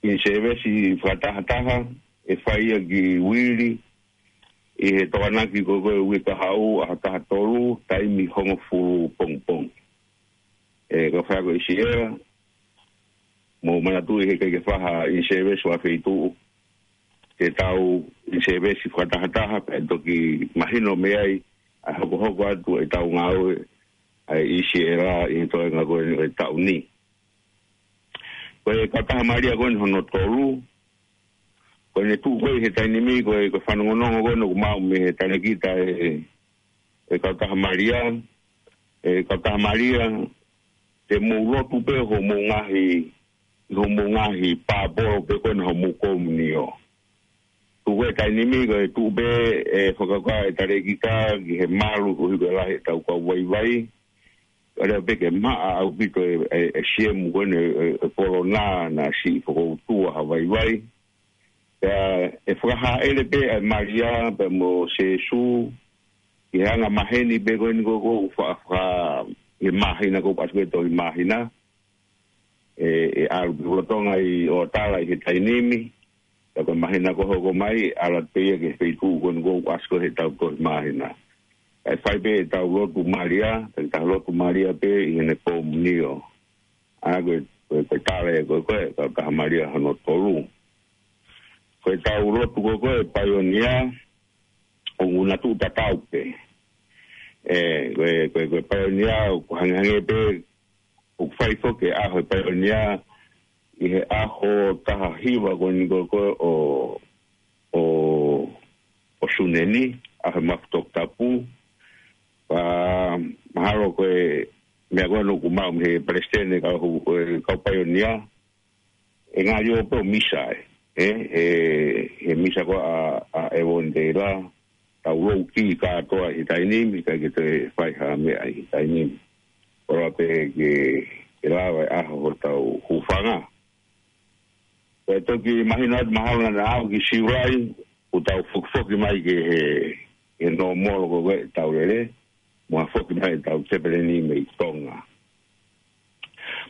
in-service fakatahataha, ʻe fai ia ki Uili, ʻi he Tokonaki ko ē ko e uike kahaʻu, ʻaho taha tolu, taimi hongofulu pongipongi. ʻE, ka ʻoku fai ko e ʻi si ela, mou manatuʻi he ʻikai ke fai ha in-service fakafeituʻu, te tau in-service fakatahataha, pea toki mahino mei ai ʻa e hokohoko atu ʻetau ngāue ʻa e ʻi si ela ʻi he toenga ko eni ʻo e taʻu ni. Ko e kautaha Malia ko eni hono tolu, ko ʻene tuʻu ko ē he taimi ni, ko e, ko e fanongonongo ko eni ʻoku maʻu mei he talēkita ʻe, ʻe kautaha Malia, ʻe kautaha Malia, te mou lotu pē hoʻomou ngaahi, hoʻomou ngaahi pāpolo pē ko ena hoʻomou komunio. Tuʻu ko ē taimi ni, ko e tuʻu pē ʻe fakakā e talēkita ki he malu koeʻuhi ko e lahi ʻetau kau vaivai. ʻA ia pē ke maʻa ʻaupito e, e, e siemu ko eni e, e, e kolona naʻa siʻi fakautua ha vaivai. Pea ʻe fakahāʻele pē ʻa e Malia pea mo Sēsū, ʻi he anga maheni pē ko eni ko ē ʻoku fa-, fa-, ʻi he māhina ko ē ʻoku ʻasi ko ē tohi māhina. ʻE, ʻe ʻalu pē lolotonga ʻi ʻOtala ʻi he taimi ni, pea ko e māhina ko ē hoko mai, ʻalu pē ia ki he feituʻu ko eni ko ē ʻoku ʻasi ko ē heʻetau tohi māhina. ʻE fai pē ʻetau lotu Malia, pea ʻetau lotu Malia pē ʻi heʻene komunio. ʻA ia ko e, ko e, ko e tala ia ko ē, ko e kautaha Malia hono tolu. Ko ʻetau lotu ko ē, ko e paionia, ʻoku na tuʻu tatau pē. ʻE, ko e, ko e, ko e paionia, ʻoku hangehangē pē, ʻoku fai foki e ʻaho e paionia, ʻi he ʻaho taha hiva ko eni ko ē, ko ē ʻo, ʻo, ʻo Sune ni, ʻaho e mafu toputapu. Pea mahalo ko e meʻa ko ē ʻoku maʻu mei he palesiteni kau, e kau paionia, ʻe ngali ō pē ʻo misa ē. ʻE, ʻe, he misa ko ē ʻa, ʻa Evonitela, tau loukī kātoa he taimi ni, ʻikai ke toe fai ha meʻa he taimi ni. Koloa pē ke, ke lava e ʻaho hotau hūfanga. Pea toki mahino atu mahalo naʻa aʻu ki Siulai, ʻoku tau fokifoki mai ki he, he nōmolo ko ē ʻetau lele, mo ha foki mai ʻetau tepeleni mei Tonga.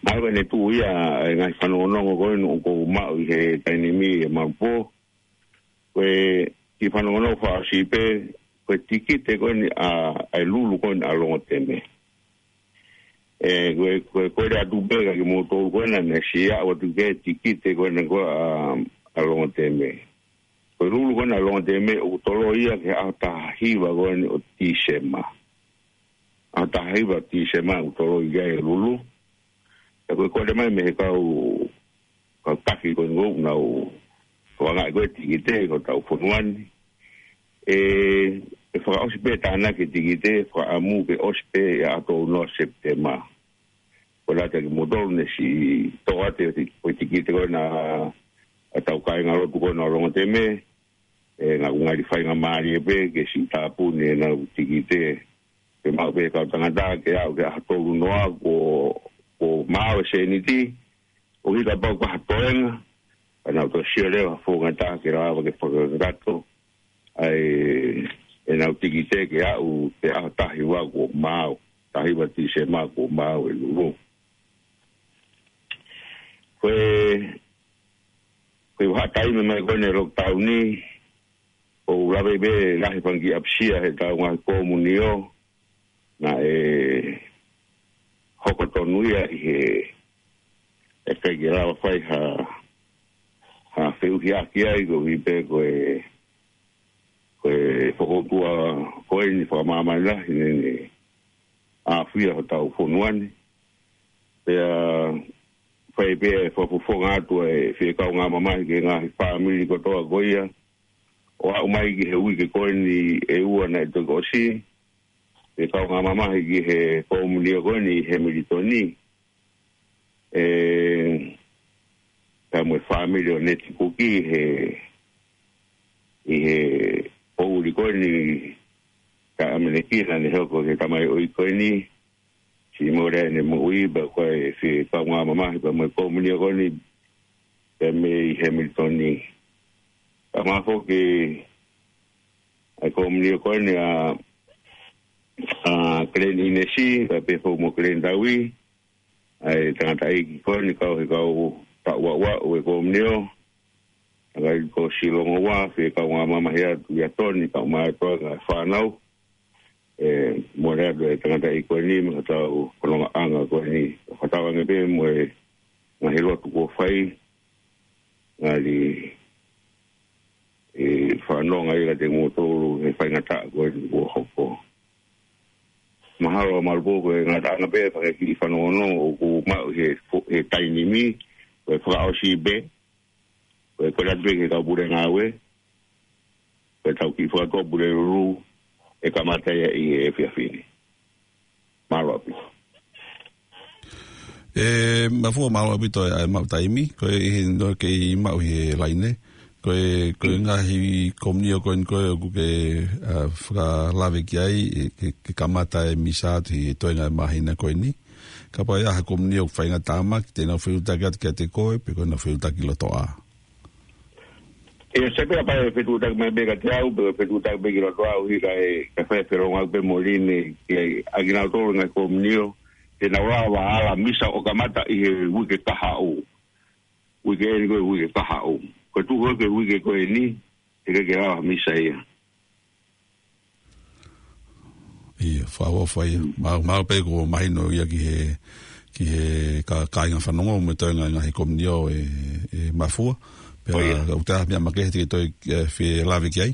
Mahalo ko ʻene tuʻu ia e ngaahi fanongonongo ko eni ʻoku ou maʻu ʻi he taimi ni ʻe Malupo. Ko e kiʻi fanongonongo fakaʻosi pē, ko e tikite ko eni ʻa, ʻa e Lulu ko eni ʻa Longoteme. ʻE, ko e, ko e, ko e lea atu pē kia kimoutolu ko ena naʻe siʻi aʻu atu ki he tikite ko ena ko ē ʻa, ʻa Longoteme. Ko e Lulu ko ena ʻa Longoteme ʻoku toloi ia ki he ʻaho taha hiva ko eni ʻo Tīsema. ʻAho taha hiva Tīsema ʻoku toloi ia e Lulu. Pea ko e kole mai mei he kau, kau taki ko eni ʻoku nau tokangaʻi ko ē tikite ʻi hotau fonua ni. ʻE, ʻe fakaʻosi pē tānaki e tikite, fakaʻamu ke ʻosi pē ʻi he ʻaho tolu noa Sepitema. Ko e lea atu kia kimoutolu naʻe siʻi toʻo atu e ti-, ko e tikite ko ena ʻa ʻetau kāingalotu ko ena ʻo Longoteme, ʻe, naʻa ku ngali faingamālie pē ke siʻi tāpuni ʻenau tikite. Ke maʻu pē kau tangata ke aʻu ki he ʻaho tolu noa kuo, maau e sēniti, ʻo hika pau ka ha toenga, ka nau toe sio leva ha founga taha ke lava ke fakakakato ʻa ʻenau tikite ke aʻu ki he ʻaho taha hiva kuo maau, taha hiva Tīsema kuo maau e Lulu. Ko e, ko e vahaʻa taimi mai ko eni e lockdown ni, ʻoku lave pē lahi fanga kiʻi ʻapasia he ʻetau ngaahi komunio, naʻe hoko tonu ia ʻi he ʻikai ke lava fai ha, ha feʻuhiʻaki ai koeʻuhi pē ko e, ko e fokoutua ko eni fakamāmani lahi naʻe ʻafio hotau fonua ni. Pea fai pē e fakafofonga atu e fie kaungā mamahi ki he ngaahi fāmili kotoa ko ia, ʻo aʻu mai ki he uike ko eni ʻe ua naʻe toki ʻosi, fie kaungā mamahi ki he komunio ko eni ʻi Hamilton ni. ʻE, ka mo e fāmili ʻo Neti Kuki he, ʻi he poʻuli ko eni ka ʻamanekina naʻe hoko ki he tamaioʻeiki ko eni, siʻi mole ʻene moʻui, pea ko e fie kaungā mamahi pea mo e komunio ko eni, pea mei Hamilton ni. Ka mafoki ʻa e komunio ko eni ʻa, ʻa Glen Innes, pea pehē foki mo Glen Tawi, ʻa e tangataʻeiki ko eni kau he kau taʻu ʻa ʻo e komunio, tangataʻeiki ko Silongo ua, fie kaungā mamahi atu ʻia Toni, kau mai atu ʻa e fānau, ʻe, mole atu e tangataʻeiki ko eni, mo hotau fonongaʻanga ko eni, fakatauange pē mo e ngaahi lotu kuo fai, ngali ʻe fanongo ai kiate kimoutolu he faingataʻa ko eni kuo hoko. Mahalo ʻa Malupo ko e ngataʻanga pē fanga kiʻi fanongonongo ʻoku maʻu he fo-, he taimi ni, ko e fakaʻosi pē, ko e kole atu pē ki he kau pule ngāue, ko e tau kiʻi fakatuʻa pule lulu, ʻe kamata ia ʻi he efiafi ni. Mālō ʻaupito. ʻE, Mafua, mālō ʻaupito ʻa e maʻu taimi, ko e ʻi he no kei maʻu he laine, ko e, ko e ngaahi komunio ko eni ko ē ʻoku ke, ʻa, fakalave ki ai, ʻe, ke, ke kamata e misa atu he toenga e māhina ko eni. Kapau ʻe ʻi ai ha komunio ʻoku faingataʻa mai, te nau fetuʻutaki atu kiate koe, pe ko ʻenau fetuʻutaki lotoʻā. ʻE, se pea pea fetuʻutaki mai pē kiate au, pe fetuʻutaki pē ki loto au, ʻi he kae, kae fai e felongoaki pē mo Line, ki ai, ʻa kinautolu ngaahi komunio, te nau lava ala misa ʻo kamata ʻi he uike kahaʻu. Uike eni ko e uike kahaʻu. Ko e tuʻu ko e uike ko eni, ʻe ʻikai ke lava misa ia. ʻIo, fakaʻofoʻofa ia. Mālō, mālō pē kuo mahino ia ki he, ki he ka-, kāinga fanongo mo e toenga e ngaahi komunio ʻe, ʻe Mafua. Pea ʻoku ʻi ai ha meʻa makehe te ke toe, ʻe, fie lave ki ai?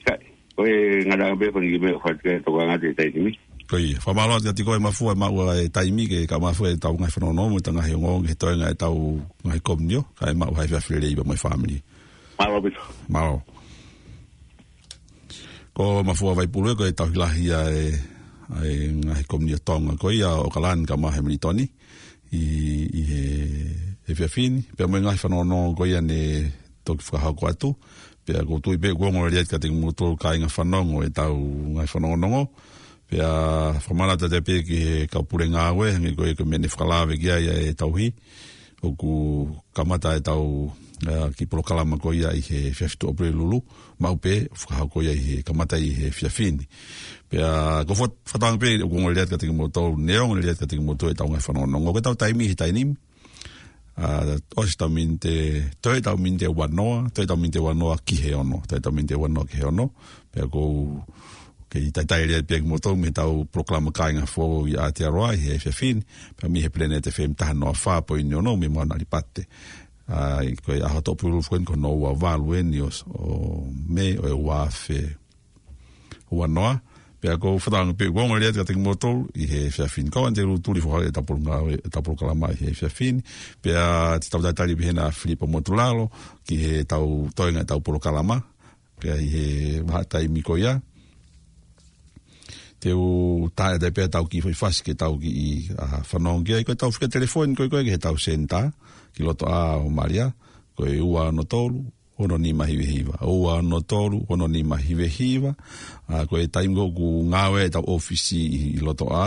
Ka, ko e ngataʻanga pē fanga kiʻi meʻa ʻoku fai atu ki ai ʻa e tokanga ʻi he taimi ni. Ko ia, fakamālō atu kiate koe Mafua ʻemau maʻu e taimi ke ka Mafua ʻetau ngaahi fanongonongo mo ʻetau ngaahi ongoongo ki he toenga ʻetau ngaahi komunio, kae maʻu ha efiafi lelei pea mo e fāmili. Mālō ʻaupito. Mālō. Ko Mafua Vaipulu ē, ko e tauhi lahi ʻa e, ʻa e ngaahi komunio Tonga ko ia ʻo ʻOkalani kae ʻumaʻā Hamilton ʻi, ʻi he efiafi ni. Pea mo e ngaahi fanongonongo ko ia naʻe toki fakahoko atu. Pea ʻoku ou tui pē ʻoku ongo lelei atu kiate kimoutolu kāinga fanongo ʻetau ngaahi fanongonongo. Pea fakamanatu atu pē ki he kau pule ngāue, hangē ko e, ko e meʻa naʻe fakalave ki ai ʻa e tauhi. ʻOku kamata ʻetau, ʻa, kiʻi polokalama ko ia ʻi he efiafi Tuʻapulelulu, maʻu pē, fakahoko ia ʻi he kamata ʻi he efiafi ni. Pea ʻoku ou faka-, fakatauange pē ʻoku ongo lelei atu kiate kimoutolu, neongo lelei atu kiate kimoutolu ʻetau ngaahi fanongonongo. Ko ʻetau taimi he taimi ni, ʻa, ʻosi ʻetau miniti, toe ʻetau miniti ʻe uanoa, toe ʻetau miniti ʻe uanoa ki he ono, toe ʻetau miniti ʻe uanoa ki he ono, pea ʻoku ou kei talitali lelei pē kimoutolu mei heʻetau polokalama Kāinga Foʻou ʻi Aotearoa ʻi he efiafi ni, pea mei he Planet F M taha noa fā poini ono mei Mauna Alipate. ʻA, ʻi ko e ʻaho Tuʻapulelulu foki eni ko hono ua valu eni ʻo, ʻo Mē ʻo e ua afe uanoa. Pea ʻoku ou fakatauange pē ʻoku ongo lelei atu kiate kimoutolu ʻi he efiafi ni. Ko ʻAnitelū Tuli, foha ʻetau polo-, ʻetau polokalama ʻi he efiafi ni. Pea te tau talitali pē hena Filipa Motulalo ki heʻetau toenga ʻetau polokalama. Pea ʻi he vahaʻa taimi ko ia, te u tā atu pē ʻetau kiʻi foʻi fasi ke tau kiʻi, ʻa, fanongo ki ai. Ko ʻetau fika telefoni ko ē, ko ē ki heʻetau senitā ki loto ʻa ʻo Malia, ko e ua ono tolu, ono nima hiva hiva. Ua ono tolu, ono nima hiva hiva. ʻA, ko e taimi ko ē ʻoku ngāue ai ʻetau ʻōfisi ʻi, ʻi Lotoʻā,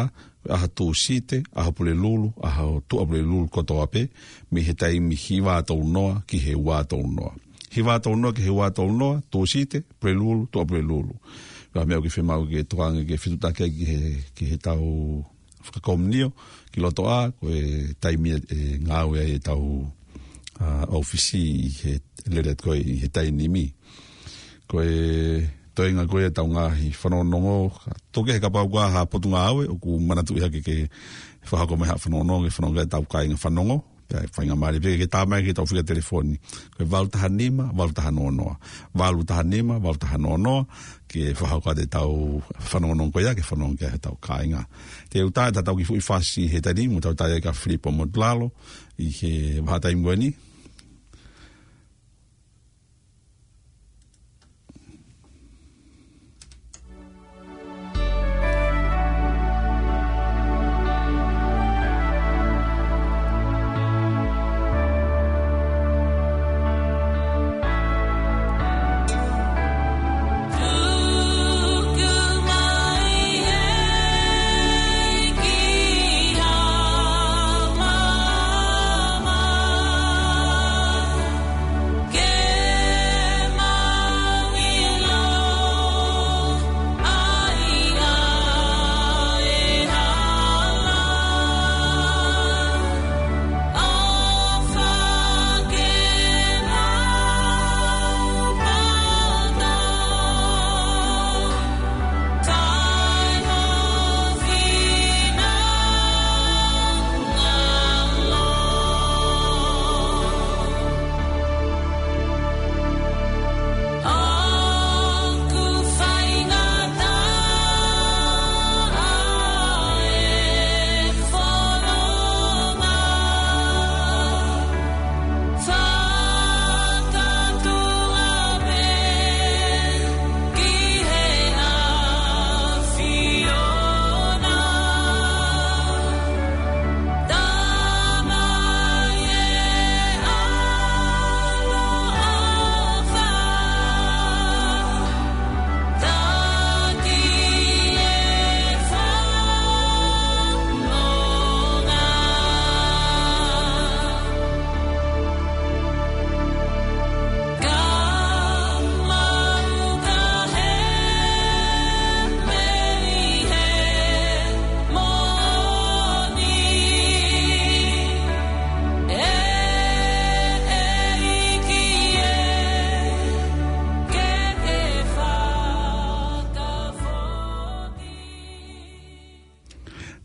ʻaho Tūsite, ʻaho Pulelulu, ʻaho Tuʻapulelulu kotoa pē, mei he taimi hiva tolu noa ki he ua tolu noa. Hiva tolu noa ki he ua tolu noa, Tūsite, Pulelulu, Tuʻapulelulu. Ko e meʻa ʻoku fiemaʻu ke tokanga ke fetuʻutaki ai ki he, ki heʻetau fakakomiunio, ki Lotoʻā, ko e taimi ʻe ngāue ai ʻetau, ʻa, ʻōfisi ʻi he lele ko ē ʻi he taimi ni. Ko e toenga ko ē ʻetau ngaahi fanongonongo, ka toki he kapau ko ha potungāue, ʻoku manatuʻi hake ke fakahoko mai ha fanongonongo, ke fanongo ki ai ʻetau kāinga fanongo, pea faingamālie pē ke tā mai ki heʻetau fika telefoni. Ko e valu taha nima, valu taha noa noa. Valu taha nima, valu taha noa noa, ke fakahoko atu ʻetau fanongonongo ko ia, ke fanongo ki ai ʻetau kāinga. Te u tā ʻetau kiʻi foʻi fasi he taimi ni, mo tau tā ia kia Filipo Motulalo, ʻi he vahaʻa taimi ko eni.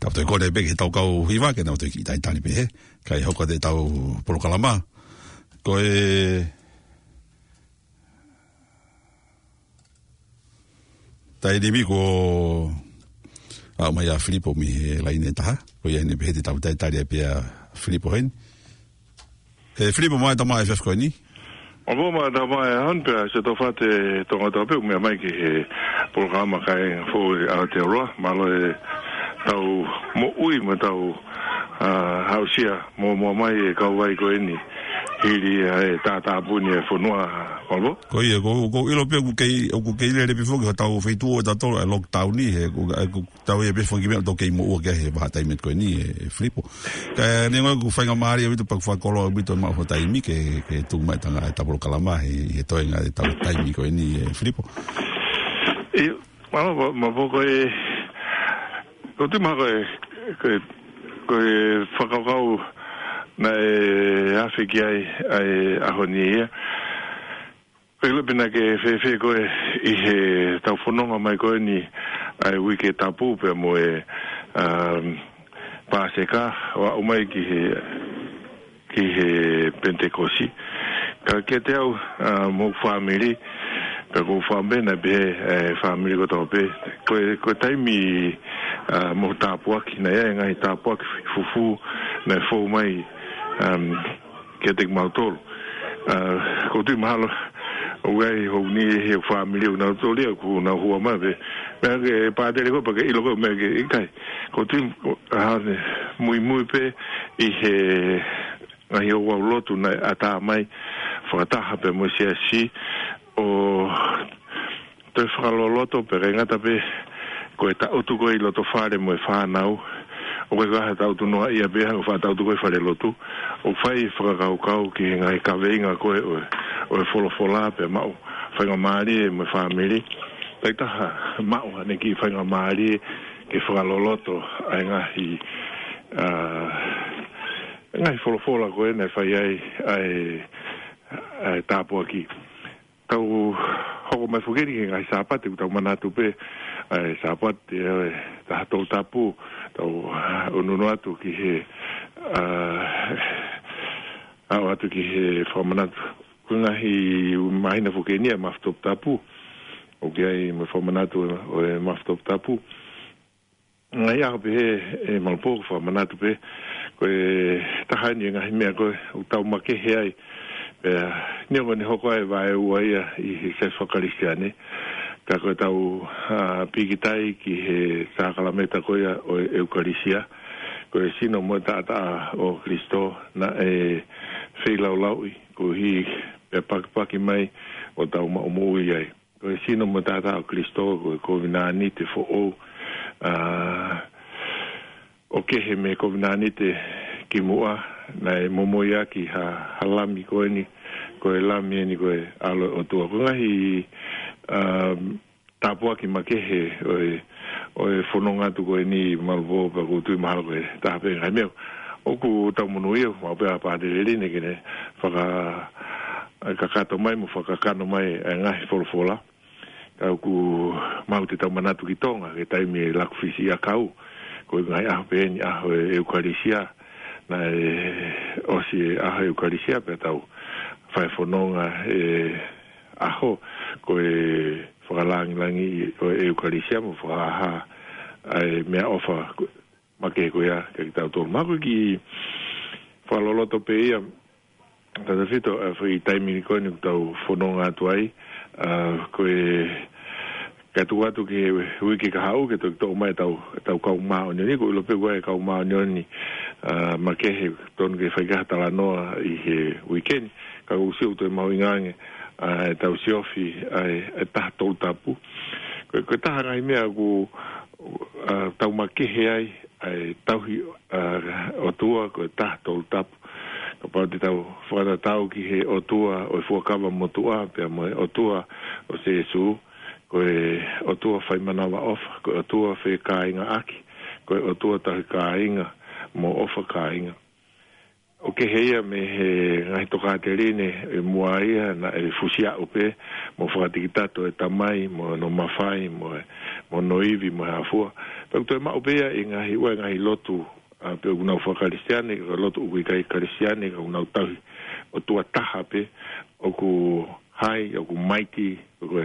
Tau toe kole pē ki heʻetau kau hiva, ke nau toe kiʻi talitali pē he, kae hoko atu ʻetau polokalama. Ko e taimi ni kuo aʻu mai ʻa Filipo mei he laine ʻe taha. Ko ia eni pē he te tau talitali ai pē ʻa Filipo heni. ʻE Filipo, mālō e tau mai ʻa e efiafi ko eni. Mālō mo e tau mai ʻa hon pea se tau fate tonga tau pē ʻoku meʻa mai ki he polokalama kai fo i Aotearoa. Mālō e tau moʻui mo tau, ʻa, aʻusia mo, mo mai e kau vai ko eni. Hili ʻa e tātāpuni e fonua, mālō. Ko ia, ko, ko ʻilo pē ʻoku kei, ʻoku kei lele pē foki hotau feituʻu ʻo tautolu ʻa e lockdown ni, he, ko, ʻa, ko, tau ia pē foki meʻa ʻoku tau kei moʻua ki ai he vahaʻa taimi ko eni, ʻe, ʻe Filipo. Ka neongo ʻoku faingamālie ʻaupito pea ʻoku fakakoló ʻaupito maʻu ho taimi ke, ke tuku mai ʻetau ngaahi ʻetau polokalama he, he toenga ʻetau taimi ko eni, ʻe, Filipo. ʻIo, mālō, mālō, mālō ko e, ko e tui mahalo ko e, ko e, ko e fakakaukau naʻe afe ki ai ʻa e ʻaho ni ia. Ko e ʻilo pē naʻa ke fēfē koe ʻi heʻetau fononga mai ko eni ʻa e Uike Tapu pea mo e, um, Pāseka ʻo aʻu mai ki he, ki he Penitekosi. Ka kiate au, ʻa, mo hoku fāmili, pea ko hoku fāmili naʻe pehē, ʻe, fāmili kotoa pē. Ko e, ko e taimi, ʻa, mo e tāpuaki, naʻe ʻi ai e ngaahi tāpuaki fufū naʻe fou mai, um, kiate kimautolu. ʻA, ʻoku ou tui mahalo ʻoku ʻi ai hoku niʻihi he fāmili ʻoku nau toli ʻoku nau hua mai pē. Meʻa ke pātele koe pea ke ʻilo koe meʻa ke ʻikai. ʻOku ou tui, ʻa, hane, muimui pē ʻi he ngaahi ouau lotu naʻe ʻatā mai fakataha pē mo e siasi ʻo toe fakaloloto pē, kae ʻikai ngata pē ko e taʻutu ko ē ʻi loto fale mo e fānau, ʻoku ʻikai ko ha taʻutu noaʻia pē, hangē ko e faʻa taʻutu ko ē falelotu, ʻo fai fakakaukau ki he ngaahi kaveinga ko ē ʻo e, ʻo e folofola pea maʻu faingamālie mo e fāmili. Taʻitaha maʻu ʻene kiʻi faingamālie ke fakaloloto ʻa e ngaahi, ā, ngaahi folofola ko ē naʻe fai ai ʻa e, ʻa e tāpuaki. Tau hoko mai foki eni ki he ngaahi Sāpate, ʻoku tau manatu pē ʻa e Sāpate ʻa e taha Tolu Tapu, tau, ā, ʻunuʻunu atu ki he, ā, aʻu atu ki he fakamanatu. Ko e ngaahi māhina foki eni ʻa e Mafi Toputapu, ʻoku ʻi ai mo e fakamanatu ʻo e Mafi Toputapu. Ngaahi ʻaho pehē ʻe Malupō, ko e fakamanatu pē, ko e taha eni e ngaahi meʻa ko ē ʻoku tau makehe ai. Pea neongo ʻene hoko ʻa e vaeua ia ʻi he siasi faka-Kalisitiane, ka ko ʻetau, ā, pīkitai ki he sākalamēniti ko ia ʻo e ʻEukalisia, ko e sino mo e taʻataʻa ʻo Kalaisi naʻe feilaulauʻi, koeʻuhi pea pakipaki mai ʻo tau maʻu moʻui ai. Ko e sino mo e taʻataʻa ʻo Kalaisi, ko e kovinānite foʻou, ā, ʻoku kehe mei he kovinānite kimuʻa, naʻe momoi ʻaki ha, ha lami ko eni, ko e lami eni ko e ʻAlo ʻo e ʻOtua. Ko e ngaahi, ā, tāpuaki makehe ʻo e, ʻo e fononga atu ko eni Malupō, pea ʻoku ou tui mahalo ko e taha pē ngaahi meʻa ʻoku tau monūʻia, maʻu pē ʻa Pātele Line ke ne faka-, kakato mai mo fakakakano mai ʻa e ngaahi folofola. Ka ʻoku maʻu te tau manatu ki Tonga, ki he taimi ʻe laku fisi ʻakau, ko e ngaahi ʻaho pē eni ʻaho e ʻEukalisia, naʻe ʻosi e ʻaho e ʻEukalisia pea tau fai fononga e ʻaho, ko e fakalāngilangi ʻo e ʻEukalisia mo fakahā ʻa e meʻaʻofa makehe ko ia kiate kitautolu. Mahalo ko e kiʻi fakaloloto pē ia, tautefito, ā, foʻi taimi ni ko eni ʻoku tau fononga atu ai, ā, ko e kae tuku atu ki he uike kahaʻu ke toki toʻo mai ʻetau, ʻetau kau māʻoniʻoni, ʻoku ʻilo pē ʻoku ʻi ai e kau māʻoniʻoni, ā, makehe, tonu ke fai ha talanoa ʻi he uike ni, ka ʻoku ou sio ʻoku toe mahuʻinga ange, ā, ʻetau siofi ʻa e, ʻa e taha Tolu Tapu. Ko e, ko e taha ngaahi meʻa ʻoku, ā, tau makehe ai, ʻa e tauhi, ā, ʻOtua, ko e taha Tolu Tapu. Kapau te tau fakatatau ki he ʻOtua ʻo e Fuakava Motuʻa, pea mo e ʻOtua ʻo Sīsū, ko e ʻOtua fai manavaʻofa, ko e ʻOtua fekāingaʻaki, ko e ʻOtua tauhi kāinga, mo ʻofa kāinga. ʻOku kehe ia mei he ngaahi tokāteline ʻi muʻa ia naʻe fusi aʻu pē, mo fakatikitato e Tamai, mo hono mafai, mo e, mo hono ivi, mo e hā fua. Pea ʻoku toe maʻu pē ia ʻi he ngaahi, ʻū ngaahi lotu, ā, pe ʻoku nau faka-Kalisitiane, ka lotu ʻoku ʻikai Kalisitiane, ka ʻoku nau tauhi ʻOtua taha pē, ʻoku high, ʻoku mighty, ʻoku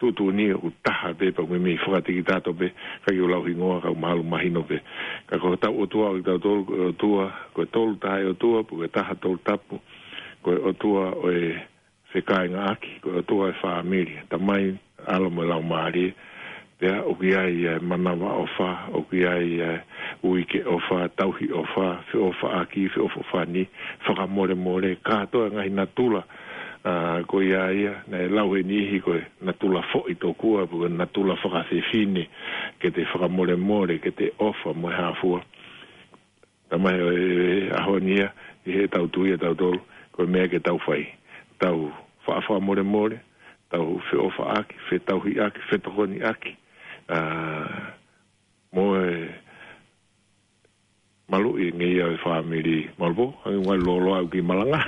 tuʻutuʻuni, ʻoku taha pē, pea ʻoku meimei fakatikitato pē, ʻikai ke u lau hingoa, ka ʻoku mahalo mahino pē. Ka ko hotau ʻOtua ʻo kitautolu, ko e ʻOtua, ko e Tolu Tahaʻi ʻOtua, pe ko e taha Tolu Tapu, ko e ʻOtua ʻo e fekāingaʻaki, ko e ʻOtua ʻo e fāmili, Tamai, ʻAlo mo e Laumālie, pea ʻoku ʻi ai e manavaʻofa, ʻoku ʻi ai e uike ʻofa, tauhi ʻofa, feʻofaʻaki, feʻofoʻofani, fakamolemole, kātoa e ngaahi natula, ā, ko ia ia, naʻe lau ʻe he niʻihi ko e natula foʻi tokua, pe ko e natula fakafefine, ke te fakamolemole, ke te ʻofa mo e hā fua. Tamai, ʻi he ʻaho ni ia, ʻi heʻetau tui ʻatautolu, ko e meʻa ke tau fai. Tau faʻa fakamolemole, tau feʻofaʻaki, fetauhiʻaki, fetokoniʻaki, ā, mo e maluʻi ngeia e fāmili. Malupō, hangē ʻoku ngali lōloa au ki malanga.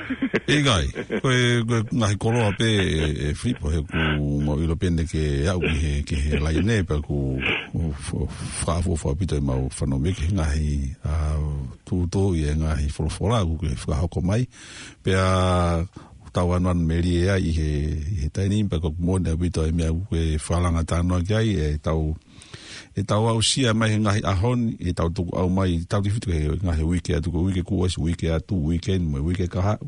ʻIkai, ko e, ko e ngaahi koloa pē ē, ē Filipo, he ʻoku mau ʻilo pē eni ke aʻu ki he, ki he laine, pea ʻoku f-, f-, fakaʻofoʻofa ʻaupito ʻemau fanongo ki he ngaahi, ā, tūtū ʻi he ngaahi folofola ʻoku ke fakahoko mai. Pea tau ʻanuʻanu melie ai ʻi he, ʻi he taimi ni, pea ʻoku moʻoni ʻaupito e meʻa ʻoku ke fakalanga talanoa ki ai, ʻetau ʻetau aʻusia mai he ngaahi ʻaho ni, ʻetau tukuʻau mai, tautefito ki he ngaahi uike atu, ko e uike kuo ʻosi, uike atu, uike ni, mo e uike kahaʻu.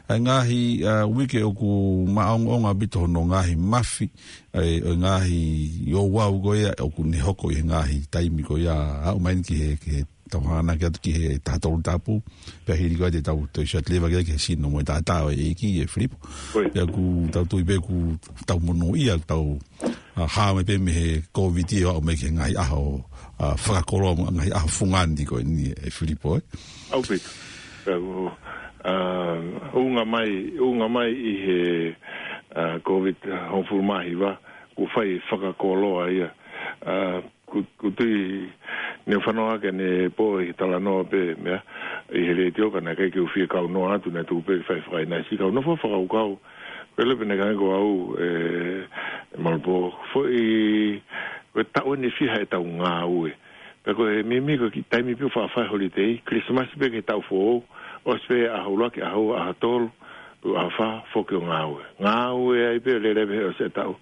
ʻA e ngaahi, ā, uike ʻoku maʻongoʻonga ʻaupito hono ngaahi mafi, ʻa e, ʻo e ngaahi ouau ko ia, ʻoku ne hoko ʻi he ngaahi taimi ko ia, aʻu mai ki he, ki he tau hanga ki atu ki he taha tolu tapu, pea hili ko ia te tau toe sio atu leva ki he sino mo e taʻataʻa ʻo e ʻEiki ʻe Filipo. Pea ʻoku tau tui pē ʻoku tau monūʻia, tau ʻa, hā mai pē mei he Covid ʻo aʻu mai ki he ngaahi ʻaho, ʻa, fakakoloa mo e ngaahi ʻaho fungani ko eni ʻe Filipo, ē? ʻAupito. Pea ʻoku, ʻa, ʻunga mai, ʻunga mai ʻi he, ʻa, Covid hongofulu mā hiva, ʻoku fai fakakoloa ia. ʻA, ʻoku, ʻoku tui ne fanongo hake ne pō ʻi he talanoa pē meʻa, ʻi he letiō ka naʻe ʻikai ke u fie kaunoa atu naʻe tuku pē fai fakaʻinasi kau nofo fakakaukau. Pele pene kai ko au, ʻe, Malpo, foʻi, ko e taʻu eni fiha ʻetau ngāue. Pea ko e mimi ko e kiʻi taimi pē ʻoku faʻa fai holiday, Christmas pē ki he taʻu foʻou, ʻosi pē ʻaho ʻuluaki, ʻaho ua, ʻaho tolu, ʻaho fā, foki ʻo ngāue. Ngāue ai pē lele pē ʻosi e taʻu.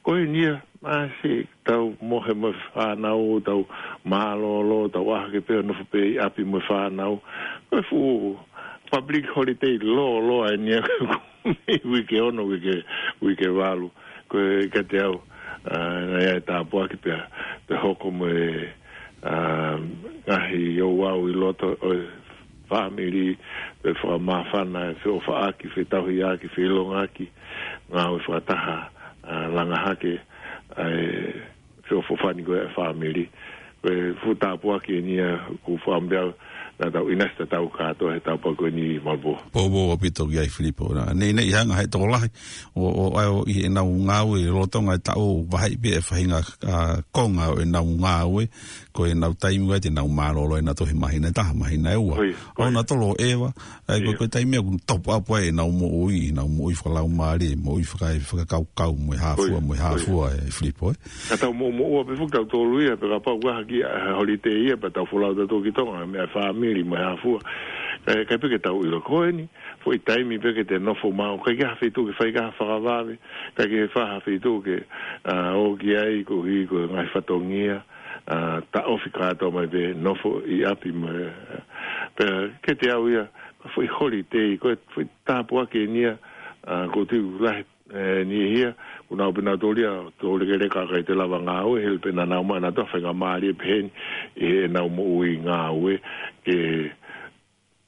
Ko eni ia, masi, tau mohe mo e fānau, tau mālōlō, tau ʻaho ke pē nofo pē ʻi ʻapi mo e fānau. Ko e fuʻu public holiday lōloa eni ia, uike ono, uike, uike valu. Ko e kiate au, ʻa, naʻe ʻi ai e tāpuaki pea, pea hoko mo e, ʻa, ngaahi ouau ʻi loto ʻo e fāmili, pea fakamāfana, feʻofaʻaki, fetauhiʻaki, feʻilongaki, ngāue fakataha, ʻa, langa hake, ʻa e feʻofoʻofani ko ē ʻa e fāmili. Ko e fuʻu tāpuaki eni ia ʻoku ou fakaʻamu pē au naʻa tau ʻinasi tatau kātoa he tāpuaki ko eni Malpo. Poupou ʻaupito ki ai Filipo. Naʻe, naʻe hanga ʻe he tokolahi ʻo, ʻo, ʻo ʻi heʻenau ngāue lolotonga e taʻu ʻo vaheʻi pē e faʻahinga, ʻa, konga ʻo ʻenau ngāue, ko ʻenau taimi ʻoku ʻi ai te nau mālōlō ʻenau tohi māhina ʻe taha, māhina ʻe ua. ʻOku nau tolo ʻeva, ʻa ia ko e, ko e taimi ʻoku top up ai ʻenau moʻui, ʻenau moʻui fakalaumālie, moʻui faka-, fakakaukau, mo e hā fua, mo e hā fua ʻe Filipo, ē. Ka tau moʻumoʻua pē foki tautolu ia, pea kapau ʻoku ʻaha ki he holiday ia, pea tau folau tautolu ki Tonga, meʻa fāmili, mo e hā fua. Kae, kae pē ke tau ʻilo ko eni, foʻi taimi pē ke te nofo maʻu, ʻikai ke ʻi ai ha feituʻu ke fai ki ai ha fakavave, ʻikai ke fai ha feituʻu ke, ʻa, ō ki ai koeʻuhi ko e ngaahi fatongia, ʻa, taʻofi kātoa mai pē nofo ʻi ʻapi mo e, pea kiate au ia, foʻi holiday, ko e foʻi tāpuaki eni ia, ʻa, ʻoku ou tui ʻoku lahi, ʻe, niʻihi ia, ʻoku nau pē nau tōlia, tō lekeleka ʻikai te lava ngāue, hili pē naʻa nau maʻu ʻenautolu ha faingamālie pehē ni ʻi heʻenau moʻui ngāue, ke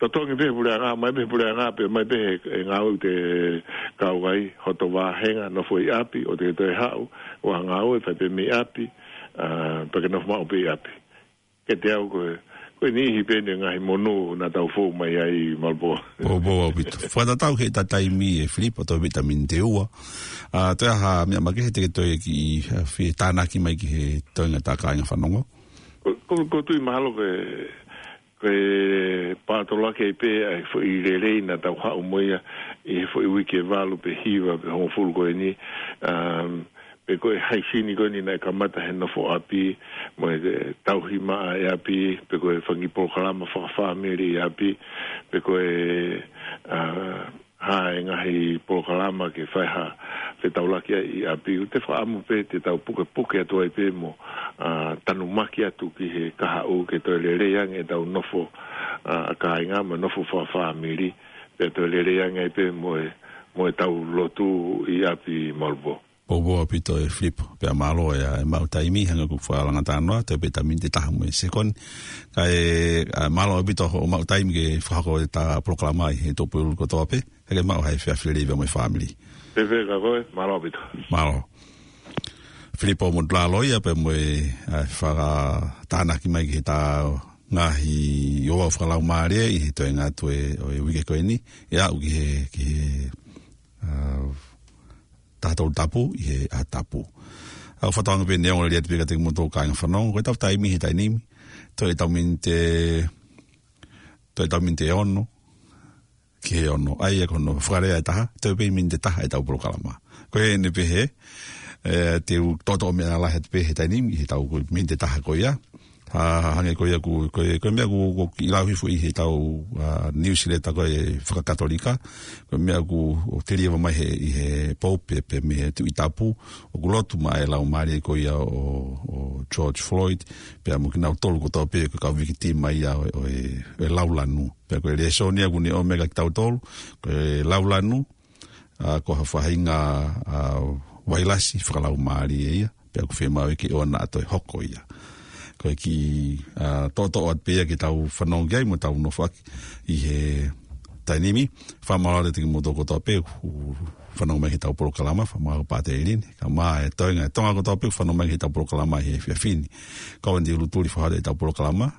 totongi pē puleʻanga, mai pē puleʻanga, pea mai pē he, he ngāue ʻoku te kau ai, hoto vāhenga, nofo ʻi ʻapi, ʻoua te ke toe haʻu, ʻo ha ngāue, fai pē mei ʻapi, ʻa, pea ke nofo maʻu pē ʻi ʻapi. Kiate au ko e, ko e niʻihi pē eni e ngaahi monū naʻa tau fou mai ai Malpo. Poupou ʻaupito. Fakatatau ki he taimi ʻe Filipo, toe pē ʻeta miniti ʻe ua. ʻA, toe ʻi ai ha meʻa makehe te ke toe kiʻi, ʻa, fie tānaki mai ki he toenga ʻeta kāinga fanongo? Ko, ko, ʻoku ou tui mahalo ko e, ko e pātolaki ai pē ʻa e foʻi lelei naʻa tau haʻu mo ia ʻi he foʻi uike valu pe hiva pe hongofulu ko eni, um, pe ko e haisini ko eni naʻe kamata he nofo ʻapi, mo e tauhi maʻa ʻi ʻapi, pe ko e fanga kiʻi polokalama fakafāmili ʻi ʻapi, pe ko e, uh, ha ngaahi polokalama ke fai ha fetaulaki ai ʻi ʻapi, ʻoku ou fakaʻamu pē te tau pukepuke atu ai pē mo, ʻa, tanumaki atu ki he kahaʻu ke toe lelei ange ʻetau nofo, ʻa, kāinga mo e nofo fakafāmili, pea toe lelei ange ai pē mo e, mo ʻetau lotu ʻi ʻapi Malpo. Poupou ʻaupito ʻe Filipo, pea mālō e, ʻa e maʻu taimi, hangē ko e fakalanga talanoa, toe pē ʻeta miniti ʻe taha mo e sekoni. Kae, ʻa, mālō ʻaupito hoʻo maʻu taimi ke fakahoko ʻeta polokalama ʻi he Tuʻapulelulu kotoa pē. Kae ke maʻu ha efiafi lelei pea mo e fāmili. Pehē ka ko e, mālō ʻaupito. Mālō. Filipo Motulaloia pea mo e, ʻa, fakatānaki mai ki heʻeta ngaahi ouau fakalaumālie ʻi he toenga atu ē, ʻo e uike ko eni, ʻe aʻu ki he, ki he, ʻa, taha tolu tapu ʻi he ʻaho Tapu. ʻOku ou fakatauange pē ʻe ongo lelei atu pē kiate kimoutolu kāinga fanongo, ko ʻetau taimi he taimi ni, toe ʻetau miniti, toe ʻetau miniti ʻe ono, ki he ono, ʻa ia ko hono fakalea ʻe taha, toe pē miniti ʻe taha ʻetau polokalama. Ko eni pē hē, ʻe, te u toʻotoʻo meʻa lahi atu pē he taimi ni, heʻetau ko e miniti ʻe taha ko ia. Ha, ha, hangē ko ia ʻoku, ko e, ko e meʻa ʻoku, ʻoku kiʻi lau hifo ʻi heʻetau, ʻa, newsletter ko e fakakatolika. Ko e meʻa ʻoku, ʻoku telieva mai he, ʻi he Pope, pea mei he Tuʻi Tapu, ʻoku lotu maʻa e laumālie ko ia ʻo, ʻo George Floyd, pea mo kinautolu kotoa pē ko e kau vikitiima ia ʻo, ʻo e, ʻo e laulanu. Pea ko e lēsoni ia ʻoku ne ʻomai kia kitautolu, ko e laulanu, ʻa, ko ha faʻahinga, ʻa, vailasi fakalaumālie ia, pea ʻoku fiemaʻu ke ʻoua naʻa toe hoko ia. ko e kiʻi, ā, toʻotoʻo atu pē ia ke tau fanongo ki ai mo tau nofoʻaki ʻi he taimi ni. Fakamālō atu kiate kimoutolu kotoa pē ʻoku fanongo mai ki heʻetau polokalama, fakamālō Pātele Lini, kae ʻumaʻā e toenga ʻo Tonga kotoa pē ʻoku fanongo mai ki heʻetau polokalama ʻi he efiafi ni. Ko au Andy Ulutuli, fakahoko ʻetau polokalama,